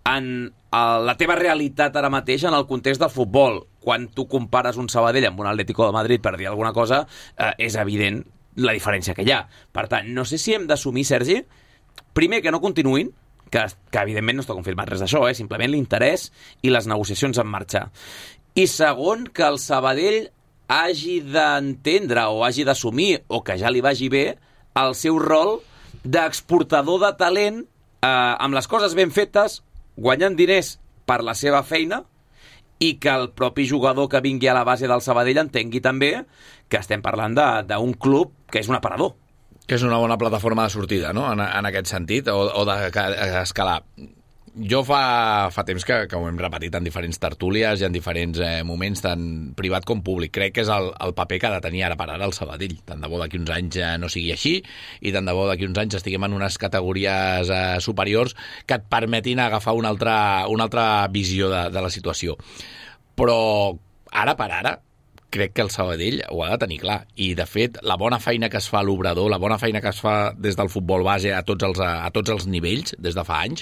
en el, la teva realitat ara mateix en el context del futbol, quan tu compares un Sabadell amb un Atlético de Madrid, per dir alguna cosa, eh, és evident la diferència que hi ha. Per tant, no sé si hem d'assumir, Sergi, primer que no continuïn, que, que evidentment no està confirmat res d'això, eh, simplement l'interès i les negociacions en marxa. I segon, que el Sabadell hagi d'entendre o hagi d'assumir, o que ja li vagi bé, el seu rol d'exportador de talent eh, amb les coses ben fetes, guanyant diners per la seva feina, i que el propi jugador que vingui a la base del Sabadell entengui també que estem parlant d'un club que és un aparador. Que és una bona plataforma de sortida, no?, en, en aquest sentit, o, o d'escalar. Jo fa, fa temps que, que ho hem repetit en diferents tertúlies i en diferents eh, moments, tant privat com públic. Crec que és el, el paper que ha de tenir ara per ara el Sabadell. Tant de bo d'aquí uns anys eh, no sigui així, i tant de bo d'aquí uns anys estiguem en unes categories eh, superiors que et permetin agafar una altra, una altra visió de, de la situació. Però ara per ara crec que el Sabadell ho ha de tenir clar. I, de fet, la bona feina que es fa a l'Obrador, la bona feina que es fa des del futbol base a tots els, a tots els nivells, des de fa anys,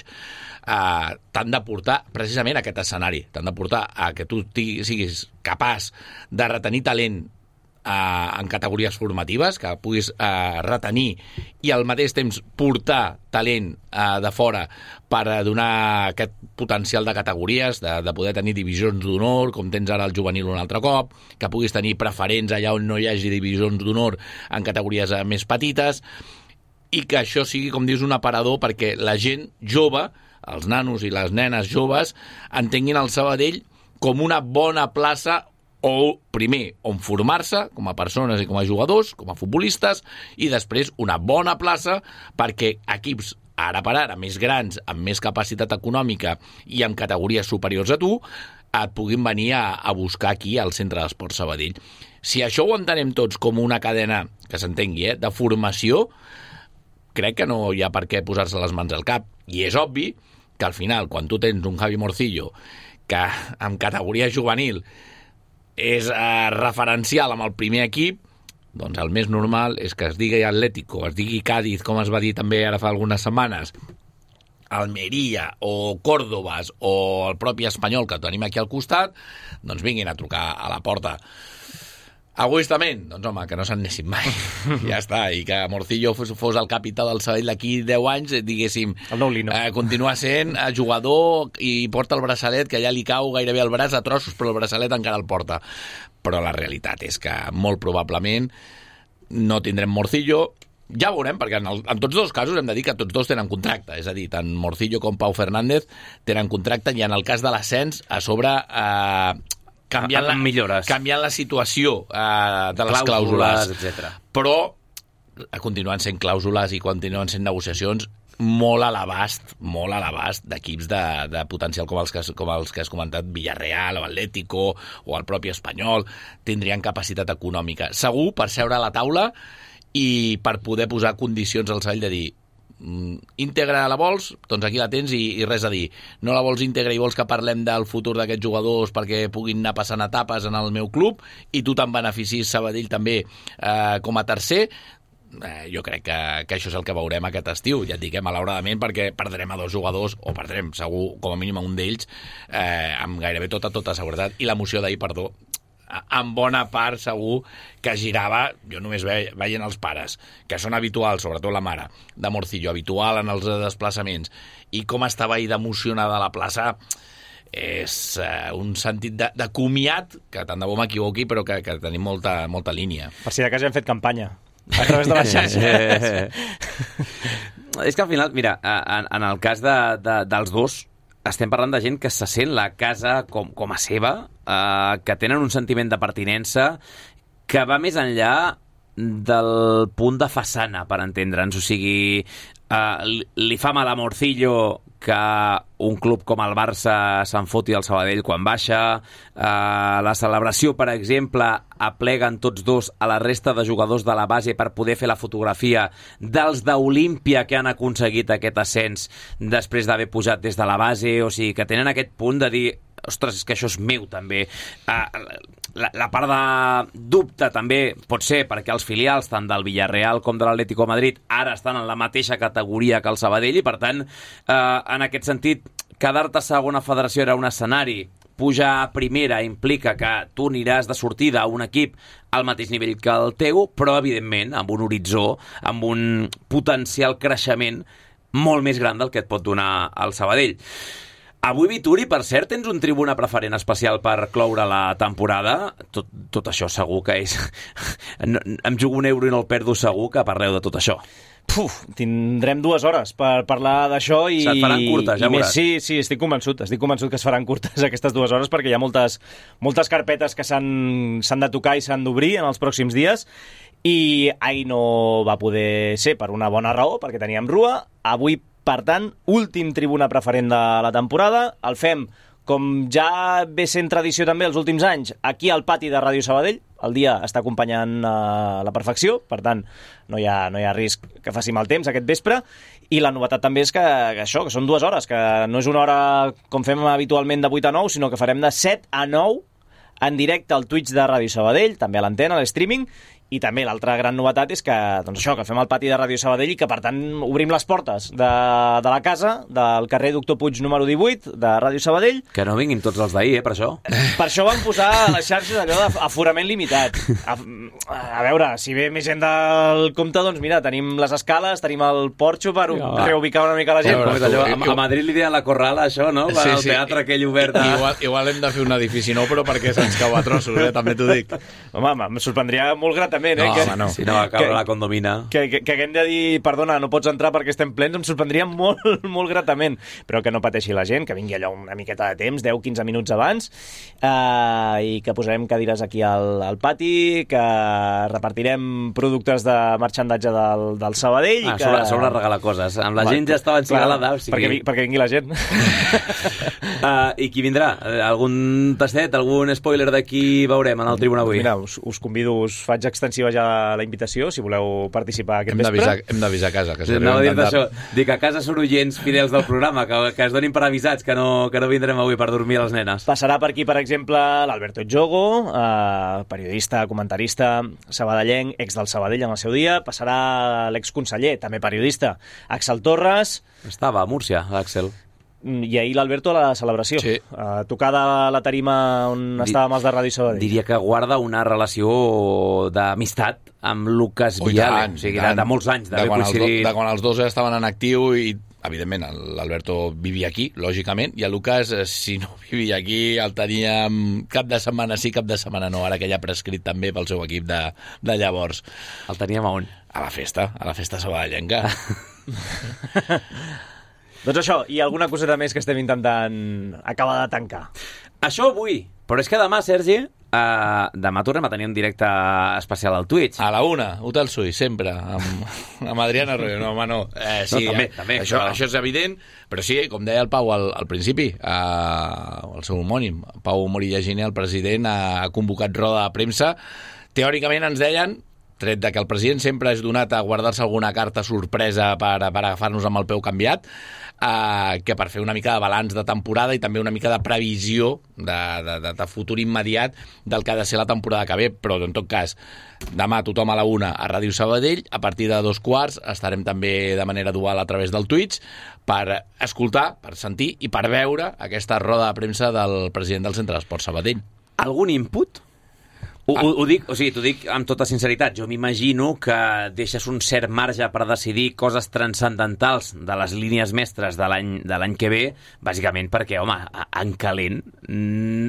eh, t'han de portar precisament a aquest escenari. T'han de portar a que tu siguis capaç de retenir talent eh, en categories formatives, que puguis eh, retenir i al mateix temps portar talent eh, de fora per donar aquest potencial de categories, de, de poder tenir divisions d'honor, com tens ara el juvenil un altre cop, que puguis tenir preferents allà on no hi hagi divisions d'honor en categories més petites, i que això sigui, com dius, un aparador perquè la gent jove, els nanos i les nenes joves, entenguin el Sabadell com una bona plaça o, primer, on formar-se com a persones i com a jugadors, com a futbolistes, i després una bona plaça perquè equips ara per ara més grans, amb més capacitat econòmica i amb categories superiors a tu, et puguin venir a, a buscar aquí al Centre d'Esports Sabadell. Si això ho entenem tots com una cadena, que s'entengui, eh, de formació, crec que no hi ha per què posar-se les mans al cap. I és obvi que al final, quan tu tens un Javi Morcillo que en categoria juvenil és eh, referencial amb el primer equip, doncs el més normal és que es digui Atlético, es digui Cádiz, com es va dir també ara fa algunes setmanes, Almeria o Còrdobas o el propi Espanyol, que tenim aquí al costat, doncs vinguin a trucar a la porta. Egoistament, doncs home, que no se'n anessin mai. Ja està, i que Morcillo fos, fos el capità del Sabadell d'aquí deu anys, diguéssim, el nou Lino. Eh, continua sent jugador i porta el braçalet, que ja li cau gairebé el braç a trossos, però el braçalet encara el porta. Però la realitat és que molt probablement no tindrem Morcillo. Ja veurem, perquè en, el, en tots dos casos hem de dir que tots dos tenen contracte, és a dir, tant Morcillo com Pau Fernández tenen contracte, i en el cas de l'ascens, a sobre eh, canviant, la, millores. canviant la situació eh, de les clàusules, etcètera. Però continuen sent clàusules i continuen sent negociacions molt a l'abast, molt a l'abast d'equips de, de potencial com els, que, com els que has comentat, Villarreal o Atlético o el propi Espanyol, tindrien capacitat econòmica. Segur per seure a la taula i per poder posar condicions al Sabadell de dir íntegra la vols, doncs aquí la tens i, i res a dir. No la vols íntegra i vols que parlem del futur d'aquests jugadors perquè puguin anar passant etapes en el meu club i tu te'n beneficis, Sabadell també eh, com a tercer. Eh, jo crec que, que això és el que veurem aquest estiu, ja et dic, eh, malauradament, perquè perdrem a dos jugadors, o perdrem segur com a mínim a un d'ells, eh, amb gairebé tota, tota seguretat, i l'emoció d'ahir, perdó, en bona part segur que girava, jo només ve, veient els pares, que són habituals, sobretot la mare de Morcillo, habitual en els desplaçaments, i com estava ahir d'emocionada a la plaça, és uh, un sentit de, de comiat, que tant de bo m'equivoqui, però que, que tenim molta, molta línia. Per si de cas ja hem fet campanya a través de les xarxes. És que al final, mira, en, en el cas de, de, dels dos, estem parlant de gent que se sent la casa com, com a seva, eh, que tenen un sentiment de pertinença que va més enllà del punt de façana, per entendre'ns. O sigui, eh, li, li fa mal a Morcillo que un club com el Barça se'n foti al Sabadell quan baixa. Eh, la celebració, per exemple, apleguen tots dos a la resta de jugadors de la base per poder fer la fotografia dels d'Olímpia que han aconseguit aquest ascens després d'haver pujat des de la base. O sigui, que tenen aquest punt de dir ostres, és que això és meu també. Uh, la, la part de dubte també pot ser perquè els filials tant del Villarreal com de l'Atlético de Madrid ara estan en la mateixa categoria que el Sabadell i per tant, uh, en aquest sentit, quedar-te a segona federació era un escenari, pujar a primera implica que tu aniràs de sortida a un equip al mateix nivell que el teu, però evidentment amb un horitzó, amb un potencial creixement molt més gran del que et pot donar el Sabadell. Avui, Vituri, per cert, tens un tribuna preferent especial per cloure la temporada. Tot, tot això segur que és... No, em jugo un euro i no el perdo segur que parleu de tot això. Puf, tindrem dues hores per parlar d'això i... Se't faran curtes, ja més, veuràs. sí, sí, estic convençut. Estic convençut que es faran curtes aquestes dues hores perquè hi ha moltes, moltes carpetes que s'han s'han de tocar i s'han d'obrir en els pròxims dies i ahir no va poder ser per una bona raó, perquè teníem Rua. Avui, per tant, últim tribuna preferent de la temporada. El fem, com ja ve sent tradició també els últims anys, aquí al pati de Ràdio Sabadell. El dia està acompanyant a la perfecció, per tant, no hi ha, no hi ha risc que faci mal temps aquest vespre. I la novetat també és que, que això, que són dues hores, que no és una hora com fem habitualment de vuit a nou, sinó que farem de set a nou en directe al Twitch de Ràdio Sabadell, també a l'antena, a l'streaming. I també l'altra gran novetat és que, doncs això, que fem el pati de Ràdio Sabadell i que, per tant, obrim les portes de, de la casa, del carrer Doctor Puig número divuit, de Ràdio Sabadell. Que no vinguin tots els d'ahir, eh, per això. Per això van posar a les xarxes allò d'aforament limitat. A, a veure, si ve més gent del compte, doncs mira, tenim les escales, tenim el porxo per ja, reubicar una mica la gent. Ja, allò, a, a Madrid li deien la Corrala, això, no? Per sí, al teatre sí. Aquell obert. A... Igual, igual hem de fer un edifici nou, però perquè se'ns cau a trossos, eh? També t'ho dic. Home, em sorprendria molt gratament. Eh? No, que, home, no. Si no va caure la condomina. Que, que, que haguem de dir, perdona, no pots entrar perquè estem plens, em sorprendria molt, molt gratament. Però que no pateixi la gent, que vingui allò una miqueta de temps, deu a quinze minuts abans, eh, i que posarem cadires aquí al, al pati, que repartirem productes de marxandatge del, del Sabadell. Ah, i que... sobre, sobre regalar coses. Amb la Va, gent ja estava encigalada. O sigui... perquè, perquè vingui la gent. uh, I qui vindrà? Algun tastet, algun spoiler d'aquí veurem en el tribuna avui? Mira, us, us convido, us faig extensiva ja la invitació, si voleu participar aquest hem vespre. Hem d'avisar a casa. Que Anava a dir això. Dic, a casa són oients fidels del programa, que, que es donin per avisats, que no, que no vindrem avui per dormir a les nenes. Passarà per aquí, per exemple, l'Alberto Jogo, eh, periodista, comentarista, sabadellenc, ex del Sabadell en el seu dia. Passarà l'exconseller, també periodista, Axel Torres. Estava a Múrcia, Axel. I ahir l'Alberto a la celebració. Sí. Uh, tocada a la tarima on Di... estàvem els de Ràdio Sabadell. Diria que guarda una relació d'amistat amb Lucas oh, Viale. Tant, o sigui, de, de molts anys. De, de, quan coincidit... do, de quan els dos estaven en actiu i, evidentment, l'Alberto vivia aquí, lògicament, i el Lucas, si no vivia aquí, el teníem cap de setmana sí, cap de setmana no, ara que ja ha prescrit també pel seu equip de, de llavors. El teníem a on? A la festa, a la festa sabadellenca. Doncs això, i alguna coseta més que estem intentant acabar de tancar. Això avui, però és que demà, Sergi, Uh, demà tornem a tenir un directe especial al Twitch. A la una, Hotel Suís, sempre, amb, amb Adriana Arroyo. No, home, no. Eh, sí, no, també, eh, també, això, però... això és evident, però sí, com deia el Pau al, al principi, eh, el seu homònim, Pau Morilla Giner, el president, ha, ha convocat roda de premsa. Teòricament ens deien, tret de que el president sempre és donat a guardar-se alguna carta sorpresa per, per agafar-nos amb el peu canviat, Uh, que per fer una mica de balanç de temporada i també una mica de previsió de, de, de, de futur immediat del que ha de ser la temporada que ve, però en tot cas demà tothom a la una a Ràdio Sabadell, a partir de dos quarts estarem també de manera dual a través del Twitch per escoltar, per sentir i per veure aquesta roda de premsa del president del Centre d'Esport Sabadell. Algun input? Ho, ho, ho dic, o sigui, t'ho dic amb tota sinceritat. Jo m'imagino que deixes un cert marge per decidir coses transcendentals de les línies mestres de l'any de l'any que ve, bàsicament perquè, home, en calent,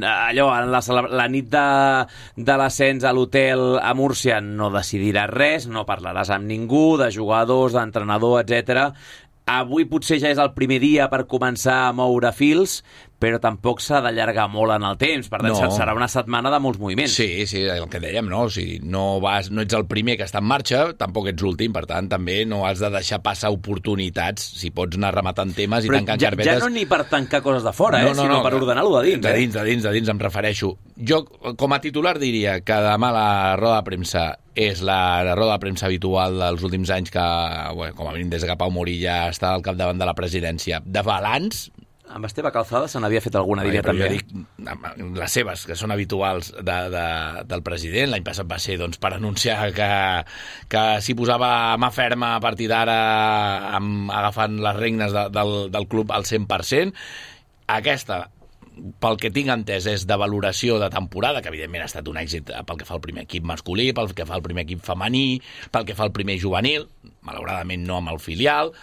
allò, en la, la nit de, de l'ascens a l'hotel a Múrcia no decidiràs res, no parlaràs amb ningú, de jugadors, d'entrenador, etcètera. Avui potser ja és el primer dia per començar a moure fils, però tampoc s'ha d'allargar molt en el temps. Per tant, no. Serà una setmana de molts moviments. Sí, sí, el que dèiem, no? O sigui, no, vas, no ets el primer que està en marxa, tampoc ets l'últim, per tant, també no has de deixar passar oportunitats, si pots anar rematant temes i però tancant ja, carpetes. Ja no ni per tancar coses de fora, no, eh, no, sinó no, per ordenar-lo de dins. De dins, de dins, de dins, em refereixo. Jo, com a titular, diria que demà la roda de premsa és la, la roda de premsa habitual dels últims anys que, bueno, com a mínim des que Pau Morilla està al capdavant de la presidència, de balanç. Amb Esteve Calzada se n'havia fet alguna, diria també. Dic, les seves, que són habituals de, de, del president. L'any passat va ser doncs, per anunciar que, que s'hi posava mà ferma a partir d'ara agafant les regnes de, del, del club al cent per cent. Aquesta, pel que tinc entès, és de valoració de temporada, que evidentment ha estat un èxit pel que fa al primer equip masculí, pel que fa al primer equip femení, pel que fa al primer juvenil, malauradament no amb el filial.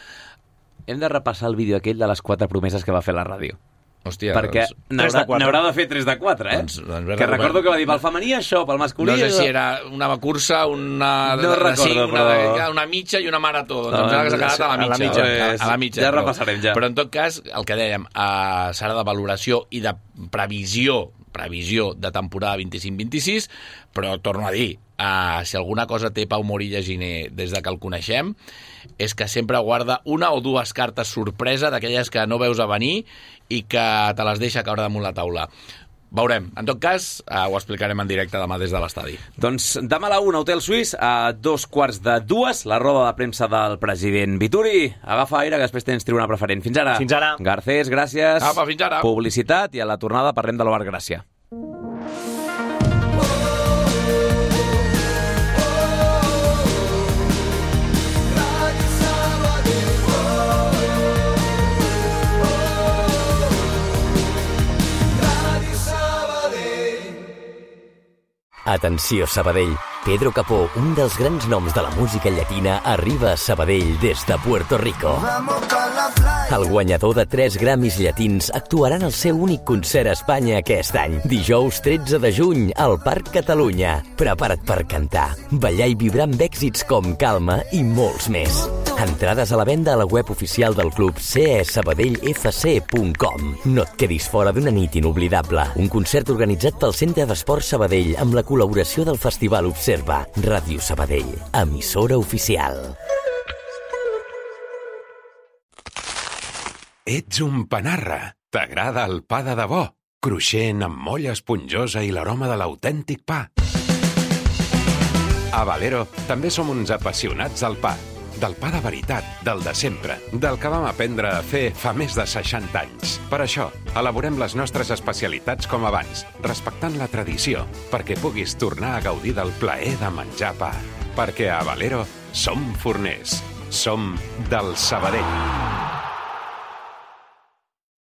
Hem de repassar el vídeo aquell de les quatre promeses que va fer la ràdio. Hòstia, perquè doncs, n'haurà de fer tres de quatre, eh? Doncs, doncs que recordo que va dir pel femení això, pel masculí... No sé si era una cursa, una... No de, recordo, sí, una, però... una mitja i una marató. Doncs no, em sembla que s'ha quedat a la mitja. A la mitja, pues, a la mitja ja però, repassarem, ja. Però en tot cas, el que dèiem, uh, serà de valoració i de previsió, previsió de temporada vint-i-cinc vint-i-sis, però torno a dir, uh, si alguna cosa té Pau Morilla Giner des de que el coneixem, és que sempre guarda una o dues cartes sorpresa d'aquelles que no veus a venir i que te les deixa caure damunt la taula. Veurem. En tot cas, eh, ho explicarem en directe demà des de l'estadi. Doncs demà a la una, Hotel Suís, a dos quarts de dues, la roda de premsa del president Vituri. Agafa aire, que després tens tribuna preferent. Fins ara. Fins ara. Garcés, gràcies. Apa, fins ara. Publicitat i a la tornada parlem de l'Obert Gràcia. Atenció, Sabadell. Pedro Capó, un dels grans noms de la música llatina, arriba a Sabadell des de Puerto Rico. El guanyador de tres Grammys llatins actuarà en el seu únic concert a Espanya aquest any. Dijous tretze de juny, al Parc Catalunya. Prepara't per cantar, ballar i vibrar amb èxits com Calma i molts més. Entrades a la venda a la web oficial del club c e sabadell f c punt com. No et quedis fora d'una nit inoblidable. Un concert organitzat pel Centre d'Esport Sabadell amb la col·laboració del Festival Observa. Ràdio Sabadell, emissora oficial. Ets un panarra. T'agrada el pa de debò? Cruixent, amb molla esponjosa i l'aroma de l'autèntic pa. A Valero també som uns apassionats del pa. Del pa de veritat, del de sempre, del que vam aprendre a fer fa més de seixanta anys. Per això, elaborem les nostres especialitats com abans, respectant la tradició, perquè puguis tornar a gaudir del plaer de menjar pa. Perquè a Valero som forners, som del Sabadell.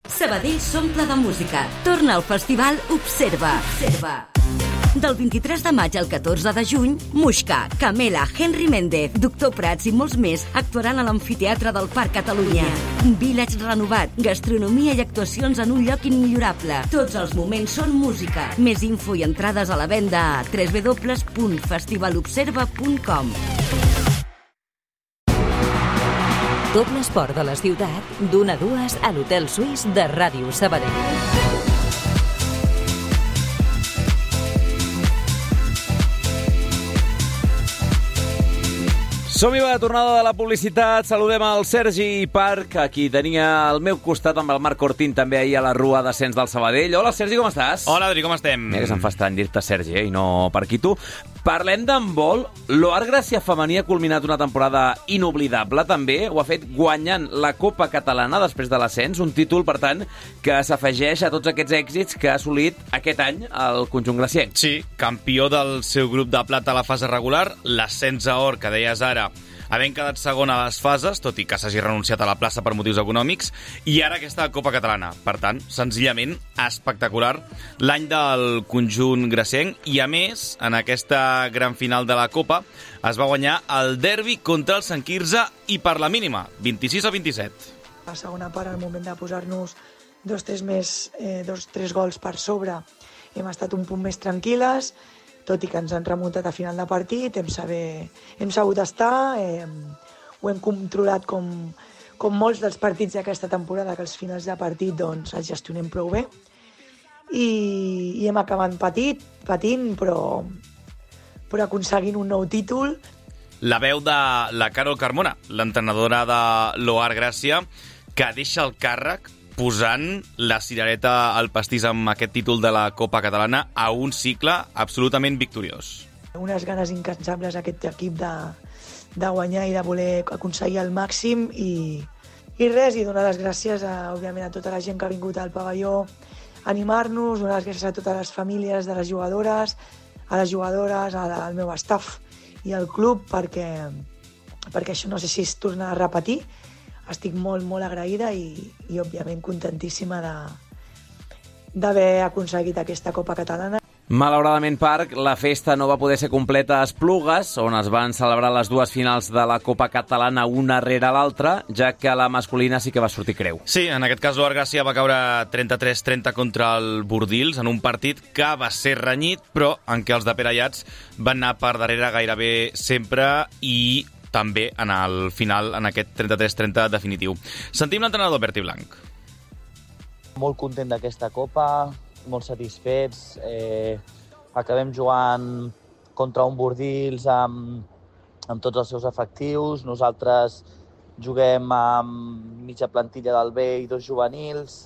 Sabadell s'omple de música. Torna al festival Observa. Observa. Del vint-i-tres de maig al catorze de juny, Muixca, Camela, Henry Méndez, Doctor Prats i molts més actuaran a l'amfiteatre del Parc Catalunya. Village renovat, gastronomia i actuacions en un lloc immillorable. Tots els moments són música. Més info i entrades a la venda a w w w punt festival observa punt com. Tot l'esport de la ciutat, d'una a dues a l'Hotel Suís de Ràdio Sabadell. Som-hi, va, tornada de la publicitat. Saludem el Sergi Parc, aquí tenia al meu costat amb el Marc Cortín també ahir a la Rua d'Ascens del Sabadell. Hola, Sergi, com estàs? Hola, Adri, com estem? Mira que se'm fa estrany dir-te Sergi, eh, i no per aquí tu. Parlem d'handbol. L'O A R Gràcia femení ha culminat una temporada inoblidable, també. Ho ha fet guanyant la Copa Catalana després de l'ascens, un títol, per tant, que s'afegeix a tots aquests èxits que ha assolit aquest any el conjunt gracienc. Sí, campió del seu grup de plata a la fase regular, l'ascens a or, que deies ara, havent quedat segon a les fases, tot i que s'hagi renunciat a la plaça per motius econòmics, i ara aquesta Copa Catalana. Per tant, senzillament espectacular l'any del conjunt gracienc, i a més, en aquesta gran final de la Copa, es va guanyar el derbi contra el Sant Quirze i per la mínima, vint-i-sis a vint-i-set. La segona part, al moment de posar-nos dos, tres, més, eh, dos, tres gols per sobre, hem estat un punt més tranquil·les, tot i que ens han remuntat a final de partit, hem, saber, hem sabut estar, eh, ho hem controlat com, com molts dels partits d'aquesta temporada, que els finals de partit doncs, els gestionem prou bé, i, i hem acabat patit, patint, però, però aconseguint un nou títol. La veu de la Carol Carmona, l'entrenadora de l'O A R Gràcia, que deixa el càrrec posant la cirereta al pastís amb aquest títol de la Copa Catalana a un cicle absolutament victoriós. Unes ganes incansables aquest equip de, de guanyar i de voler aconseguir el màxim i, i res, i donar les gràcies a, òbviament, a tota la gent que ha vingut al pavelló a animar-nos, donar les gràcies a totes les famílies de les jugadores, a les jugadores, al, al meu staff i al club, perquè, perquè això no sé si es torna a repetir. Estic molt, molt agraïda i, i òbviament, contentíssima de, d'haver aconseguit aquesta Copa Catalana. Malauradament, Parc, la festa no va poder ser completa a Esplugues, on es van celebrar les dues finals de la Copa Catalana una rere l'altra, ja que la masculina sí que va sortir creu. Sí, en aquest cas l'O A R Gràcia va caure trenta-tres trenta contra el Bordils, en un partit que va ser renyit, però en què els de Pere Ayats van anar per darrere gairebé sempre i també en el final, en aquest trenta-tres trenta definitiu. Sentim l'entrenador Berti Blanc. Molt content d'aquesta Copa, molt satisfets. Eh, acabem jugant contra un Bordils amb, amb tots els seus efectius. Nosaltres juguem amb mitja plantilla del B i dos juvenils.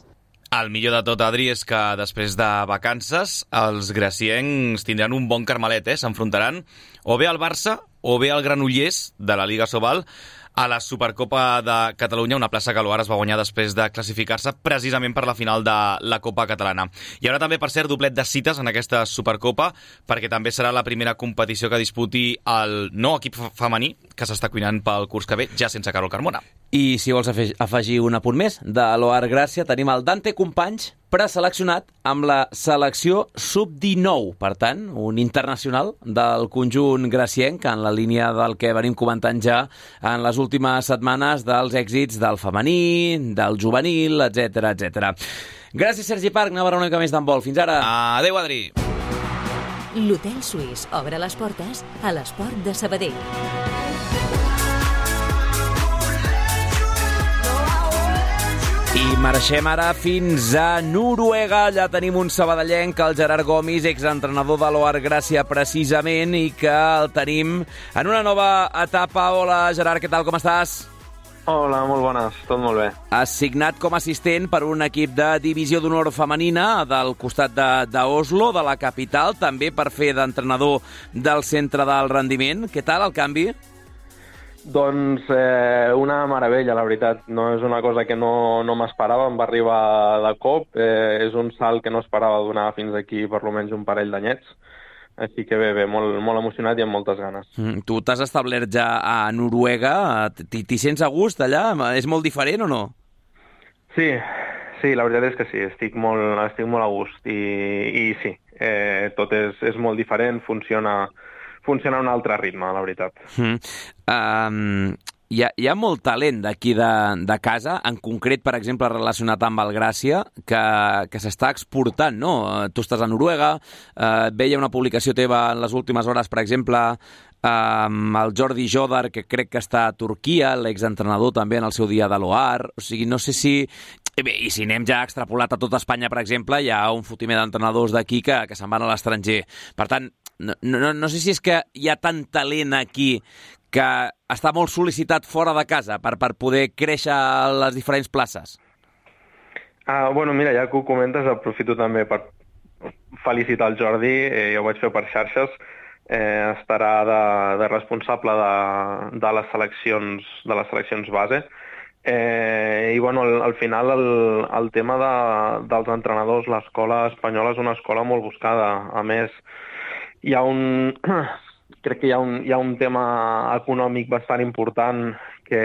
El millor de tot, Adri, és que després de vacances els graciencs tindran un bon carmelet, eh? S'enfrontaran o bé al Barça o bé al Granollers de la Liga Sobal a la Supercopa de Catalunya, una plaça que l'O A R es va guanyar després de classificar-se precisament per la final de la Copa Catalana. Hi haurà també, per cert, doblet de cites en aquesta Supercopa, perquè també serà la primera competició que disputi el nou equip femení que s'està cuinant pel curs que ve, ja sense Carol Carmona. I si vols afegir un apunt més de l'O A R Gràcia, tenim el Dante Companys, preseleccionat amb la selecció sub dinou. Per tant, un internacional del conjunt gracienc, en la línia del que venim comentant ja en les últimes setmanes dels èxits del femení, del juvenil, etcètera, etcètera. Gràcies, Sergi Parc. Anem a veure una mica més d'handbol. Fins ara. Adéu, Adri. L'Hotel Suís obre les portes a l'Esport de Sabadell. I marxem ara fins a Noruega. Allà tenim un sabadellenc, el Gerard Gomis, exentrenador de l'O A R Gràcia precisament, i que el tenim en una nova etapa. Hola, Gerard, què tal, com estàs? Hola, molt bones, tot molt bé. Has signat com a assistent per un equip de divisió d'honor femenina del costat d'Oslo, de, de la capital, també per fer d'entrenador del centre del rendiment. Què tal el canvi? Doncs eh, una meravella, la veritat. No és una cosa que no, no m'esperava, em va arribar de cop. Eh, és un salt que no esperava donar fins aquí per almenys un parell d'anyets. Així que bé, bé, molt, molt emocionat i amb moltes ganes. Mm, tu t'has establert ja a Noruega. T'hi sents a gust allà? És molt diferent o no? Sí, sí, la veritat és que sí. Estic molt, estic molt a gust. I, i sí, eh, tot és, és molt diferent, funciona... funciona a un altre ritme, la veritat. Mm. Um, hi, ha, hi ha molt talent d'aquí de, de casa, en concret, per exemple, relacionat amb el Gràcia, que, que s'està exportant, no? Tu estàs a Noruega, uh, veia una publicació teva en les últimes hores, per exemple, amb el Jordi Jodar, que crec que està a Turquia, l'exentrenador també en el seu dia de l'O A R. O sigui, no sé si... Bé, i si anem ja extrapolat a tot Espanya, per exemple, hi ha un fotimer d'entrenadors d'aquí que, que se'n van a l'estranger. Per tant, no, no, no sé si és que hi ha tant talent aquí que està molt sol·licitat fora de casa per, per poder créixer a les diferents places? Ah, bueno, mira, ja que ho comentes, aprofito també per felicitar el Jordi, eh, ja ho vaig fer per xarxes, eh, estarà de, de responsable de, de les seleccions de les seleccions base. Eh, I bueno, al, al final el, el tema de, dels entrenadors, l'escola espanyola és una escola molt buscada. A més, hi ha un, crec que hi ha un, hi ha un tema econòmic bastant important que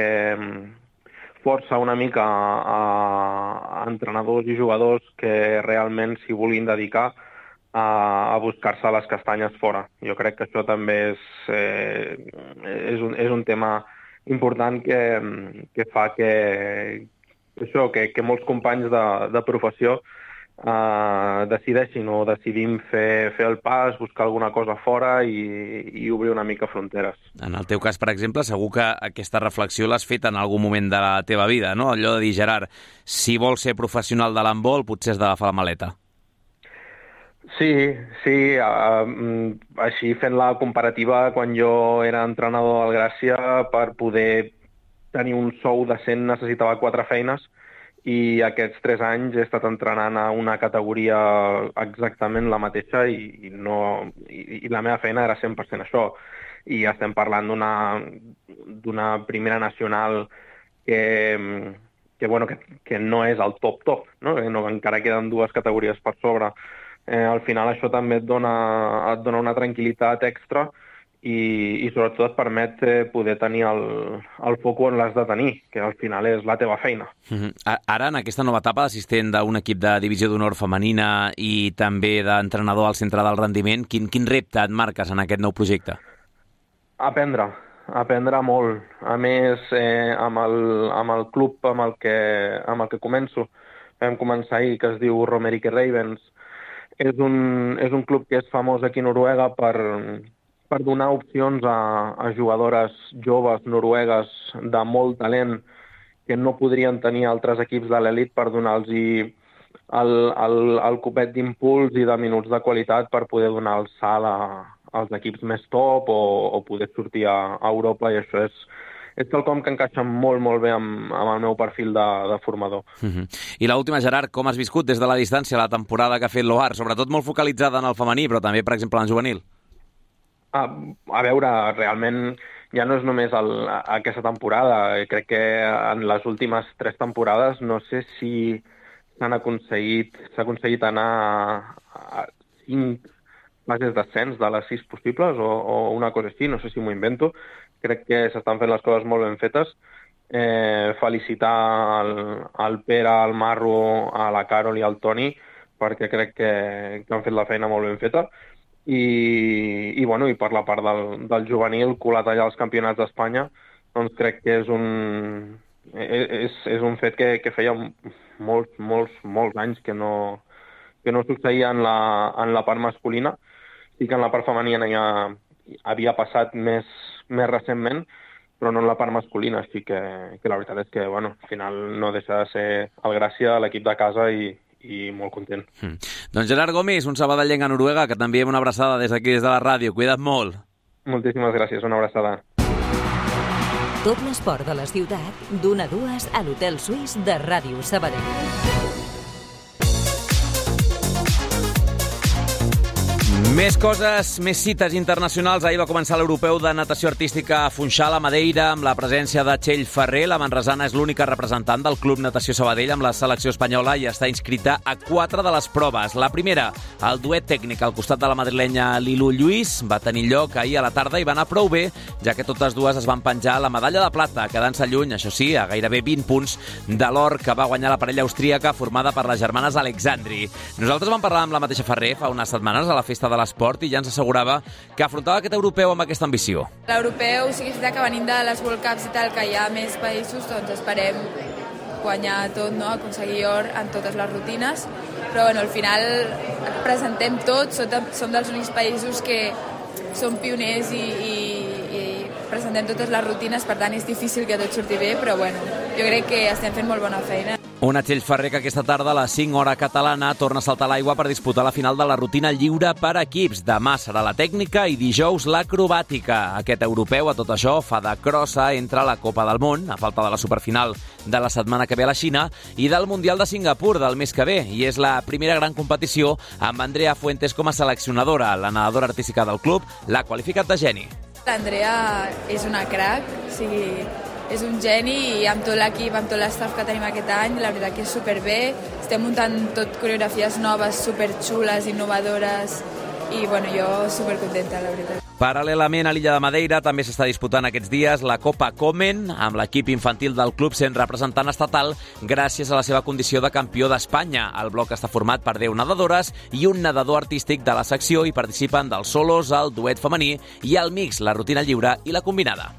força una mica a, a entrenadors i jugadors que realment s'hi vulguin dedicar a, a buscar-se les castanyes fora. Jo crec que això també és, eh, és, un, és un tema important que, que fa que, això, que, que molts companys de, de professió Uh, decideixin o decidim fer, fer el pas, buscar alguna cosa fora i, i obrir una mica fronteres. En el teu cas, per exemple, segur que aquesta reflexió l'has fet en algun moment de la teva vida, no? Allò de dir, Gerard, si vols ser professional de l'handbol, potser has d'agafar la maleta. Sí, sí. Uh, així fent la comparativa, quan jo era entrenador al Gràcia, per poder tenir un sou decent necessitava quatre feines, i aquests tres anys he estat entrenant a una categoria exactament la mateixa i, i, no, i, i la meva feina era cent per cent això. I estem parlant d'una d'una primera nacional que, que, bueno, que, que no és el top-top, no? No, encara queden dues categories per sobre. Eh, al final això també et dona, et dona una tranquil·litat extra i, i sobretot et permet poder tenir el, el foc on l'has de tenir, que al final és la teva feina. Mm-hmm. Ara, en aquesta nova etapa d'assistent d'un equip de divisió d'honor femenina i també d'entrenador al centre del rendiment, quin, quin repte et marques en aquest nou projecte? Aprendre, aprendre molt. A més, eh, amb, el, amb el club amb el, que, amb el que començo, vam començar ahir, que es diu Romerike Ravens. És un, és un club que és famós aquí a Noruega per... per donar opcions a, a jugadores joves noruegues de molt talent que no podrien tenir altres equips de l'elit, per donar-los el, el, el copet d'impuls i de minuts de qualitat per poder donar el salt a, als equips més top o, o poder sortir a, a Europa, i això és, és quelcom que encaixa molt, molt bé amb, amb el meu perfil de, de formador. Uh-huh. I l'última, Gerard, com has viscut des de la distància la temporada que ha fet l'O A R, sobretot molt focalitzada en el femení, però també, per exemple, en juvenil? A, a veure, realment ja no és només el, aquesta temporada. Crec que en les últimes tres temporades no sé si s'han aconseguit, s'ha aconseguit anar a, a cinc fases d'ascens de les sis possibles o, o una cosa així, no sé si m'ho invento. Crec que s'estan fent les coses molt ben fetes. Eh, felicitar el, el Pere, el Marro, a la Carol i al Toni, perquè crec que, que han fet la feina molt ben feta. I, i, bueno, i per la part del, del juvenil, colat allà als campionats d'Espanya, doncs crec que és un, és, és un fet que, que feia molts, molts, molts anys que no, que no succeïa en la, en la part masculina. Sí que en la part femenina ja havia passat més, més recentment, però no en la part masculina, així que, que la veritat és que, bueno, al final no deixa de ser el Gràcia, l'equip de casa, i i molt content. Mm. Doncs Gerard Gómez, un sabadellenc a Noruega, que t'enviem una abraçada des d'aquí, des de la ràdio. Cuida't molt. Moltíssimes gràcies, una abraçada. Tot l'esport de la ciutat, d'una a dues a l'Hotel Suís de Ràdio Sabadell. Més coses, més cites internacionals. Ahir va començar l'Europeu de Natació Artística a Funchal, a Madeira, amb la presència de Txell Ferrer. La manresana és l'única representant del Club Natació Sabadell amb la selecció espanyola i està inscrita a quatre de les proves. La primera, el duet tècnic al costat de la madrilenya Lilu Lluís, va tenir lloc ahir a la tarda i va anar prou bé, ja que totes dues es van penjar la medalla de plata, quedant-se lluny, això sí, a gairebé vint punts de l'or que va guanyar la parella austríaca formada per les germanes Alexandri. Nosaltres vam parlar amb la mateixa Ferrer fa unes setmanes a la Festa de l'Esport i ja ens assegurava que afrontava aquest europeu amb aquesta ambició. L'europeu, o sigui, que venint de les World Cups i tal, que hi ha més països, doncs esperem guanyar tot, no? Aconseguir or en totes les rutines, però bueno, al final presentem tot, som dels únics països que som pioners i, i, i presentem totes les rutines, per tant és difícil que tot surti bé, però bueno, jo crec que estem fent molt bona feina. Una Txell Ferrer que aquesta tarda a les cinc hora catalana torna a saltar a l'aigua per disputar la final de la rutina lliure per equips. Demà serà la tècnica i dijous l'acrobàtica. Aquest europeu a tot això fa de crossa entre la Copa del Món, a falta de la superfinal de la setmana que ve a la Xina, i del Mundial de Singapur del mes que ve. I és la primera gran competició amb Andrea Fuentes com a seleccionadora. La nedadora artística del club l'ha qualificat de geni. L'Andrea és una crac, o sigui, és un geni i amb tot l'equip, amb tot l'estaf que tenim aquest any, la veritat que és superbé. Estem muntant tot coreografies noves, superxules, innovadores i bueno, jo supercontenta, la veritat. Paral·lelament a l'illa de Madeira també s'està disputant aquests dies la Copa Komen, amb l'equip infantil del club sent representant estatal gràcies a la seva condició de campió d'Espanya. El bloc està format per deu nedadores i un nedador artístic de la secció i participen dels solos, el duet femení i el mix, la rutina lliure i la combinada.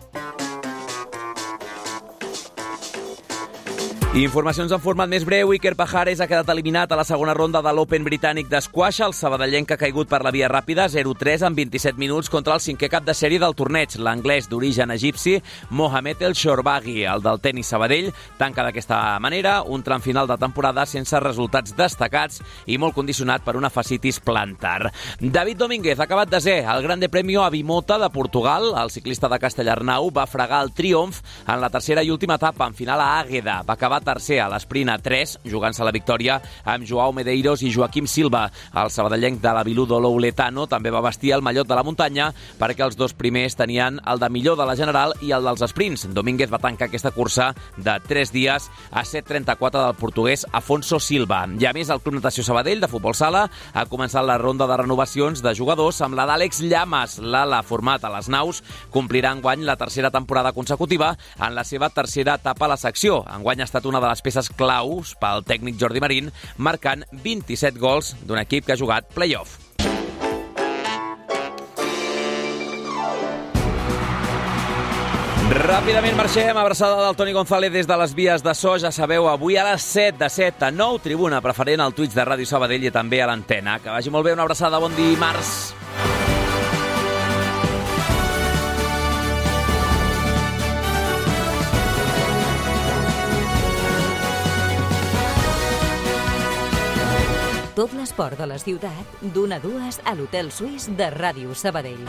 Informacions en format més breu. Iker Pajares ha quedat eliminat a la segona ronda de l'Open britànic d'esquaix. El sabadellenc ha caigut per la via ràpida zero tres en vint-i-set minuts contra el cinquè cap de sèrie del torneig. L'anglès d'origen egipci Mohamed El Shorbaghi, el del tenis Sabadell, tanca d'aquesta manera un tram final de temporada sense resultats destacats i molt condicionat per una fascitis plantar. David Domínguez ha acabat desè al Grande Premio Avimota de Portugal. El ciclista de Castellarnau va fregar el triomf en la tercera i última etapa, en final a Àgueda. Va acabar tercer a l'esprint a tres, jugant-se la victòria amb Joao Medeiros i Joaquim Silva. El sabadellenc de la Viludo Louletano també va vestir el mallot de la muntanya perquè els dos primers tenien el de millor de la general i el dels sprints. Domínguez va tancar aquesta cursa de tres dies a set trenta-quatre del portuguès Afonso Silva. I a més, el Club Natació Sabadell de futbol sala ha començat la ronda de renovacions de jugadors amb la d'Àlex Llamas. L'ala format a les naus complirà enguany la tercera temporada consecutiva en la seva tercera etapa a la secció. Enguany ha estat una de les peces claus pel tècnic Jordi Marín, marcant vint-i-set gols d'un equip que ha jugat play-off. Ràpidament marxem, abraçada del Toni González des de les vies de so. Ja sabeu, avui a les set, de set a nou, tribuna preferent al Twitch de Ràdio Sabadell i també a l'antena. Que vagi molt bé, una abraçada, bon dimarts. Tot l'esport de la ciutat, d'una a dues a l'Hotel Suís de Ràdio Sabadell.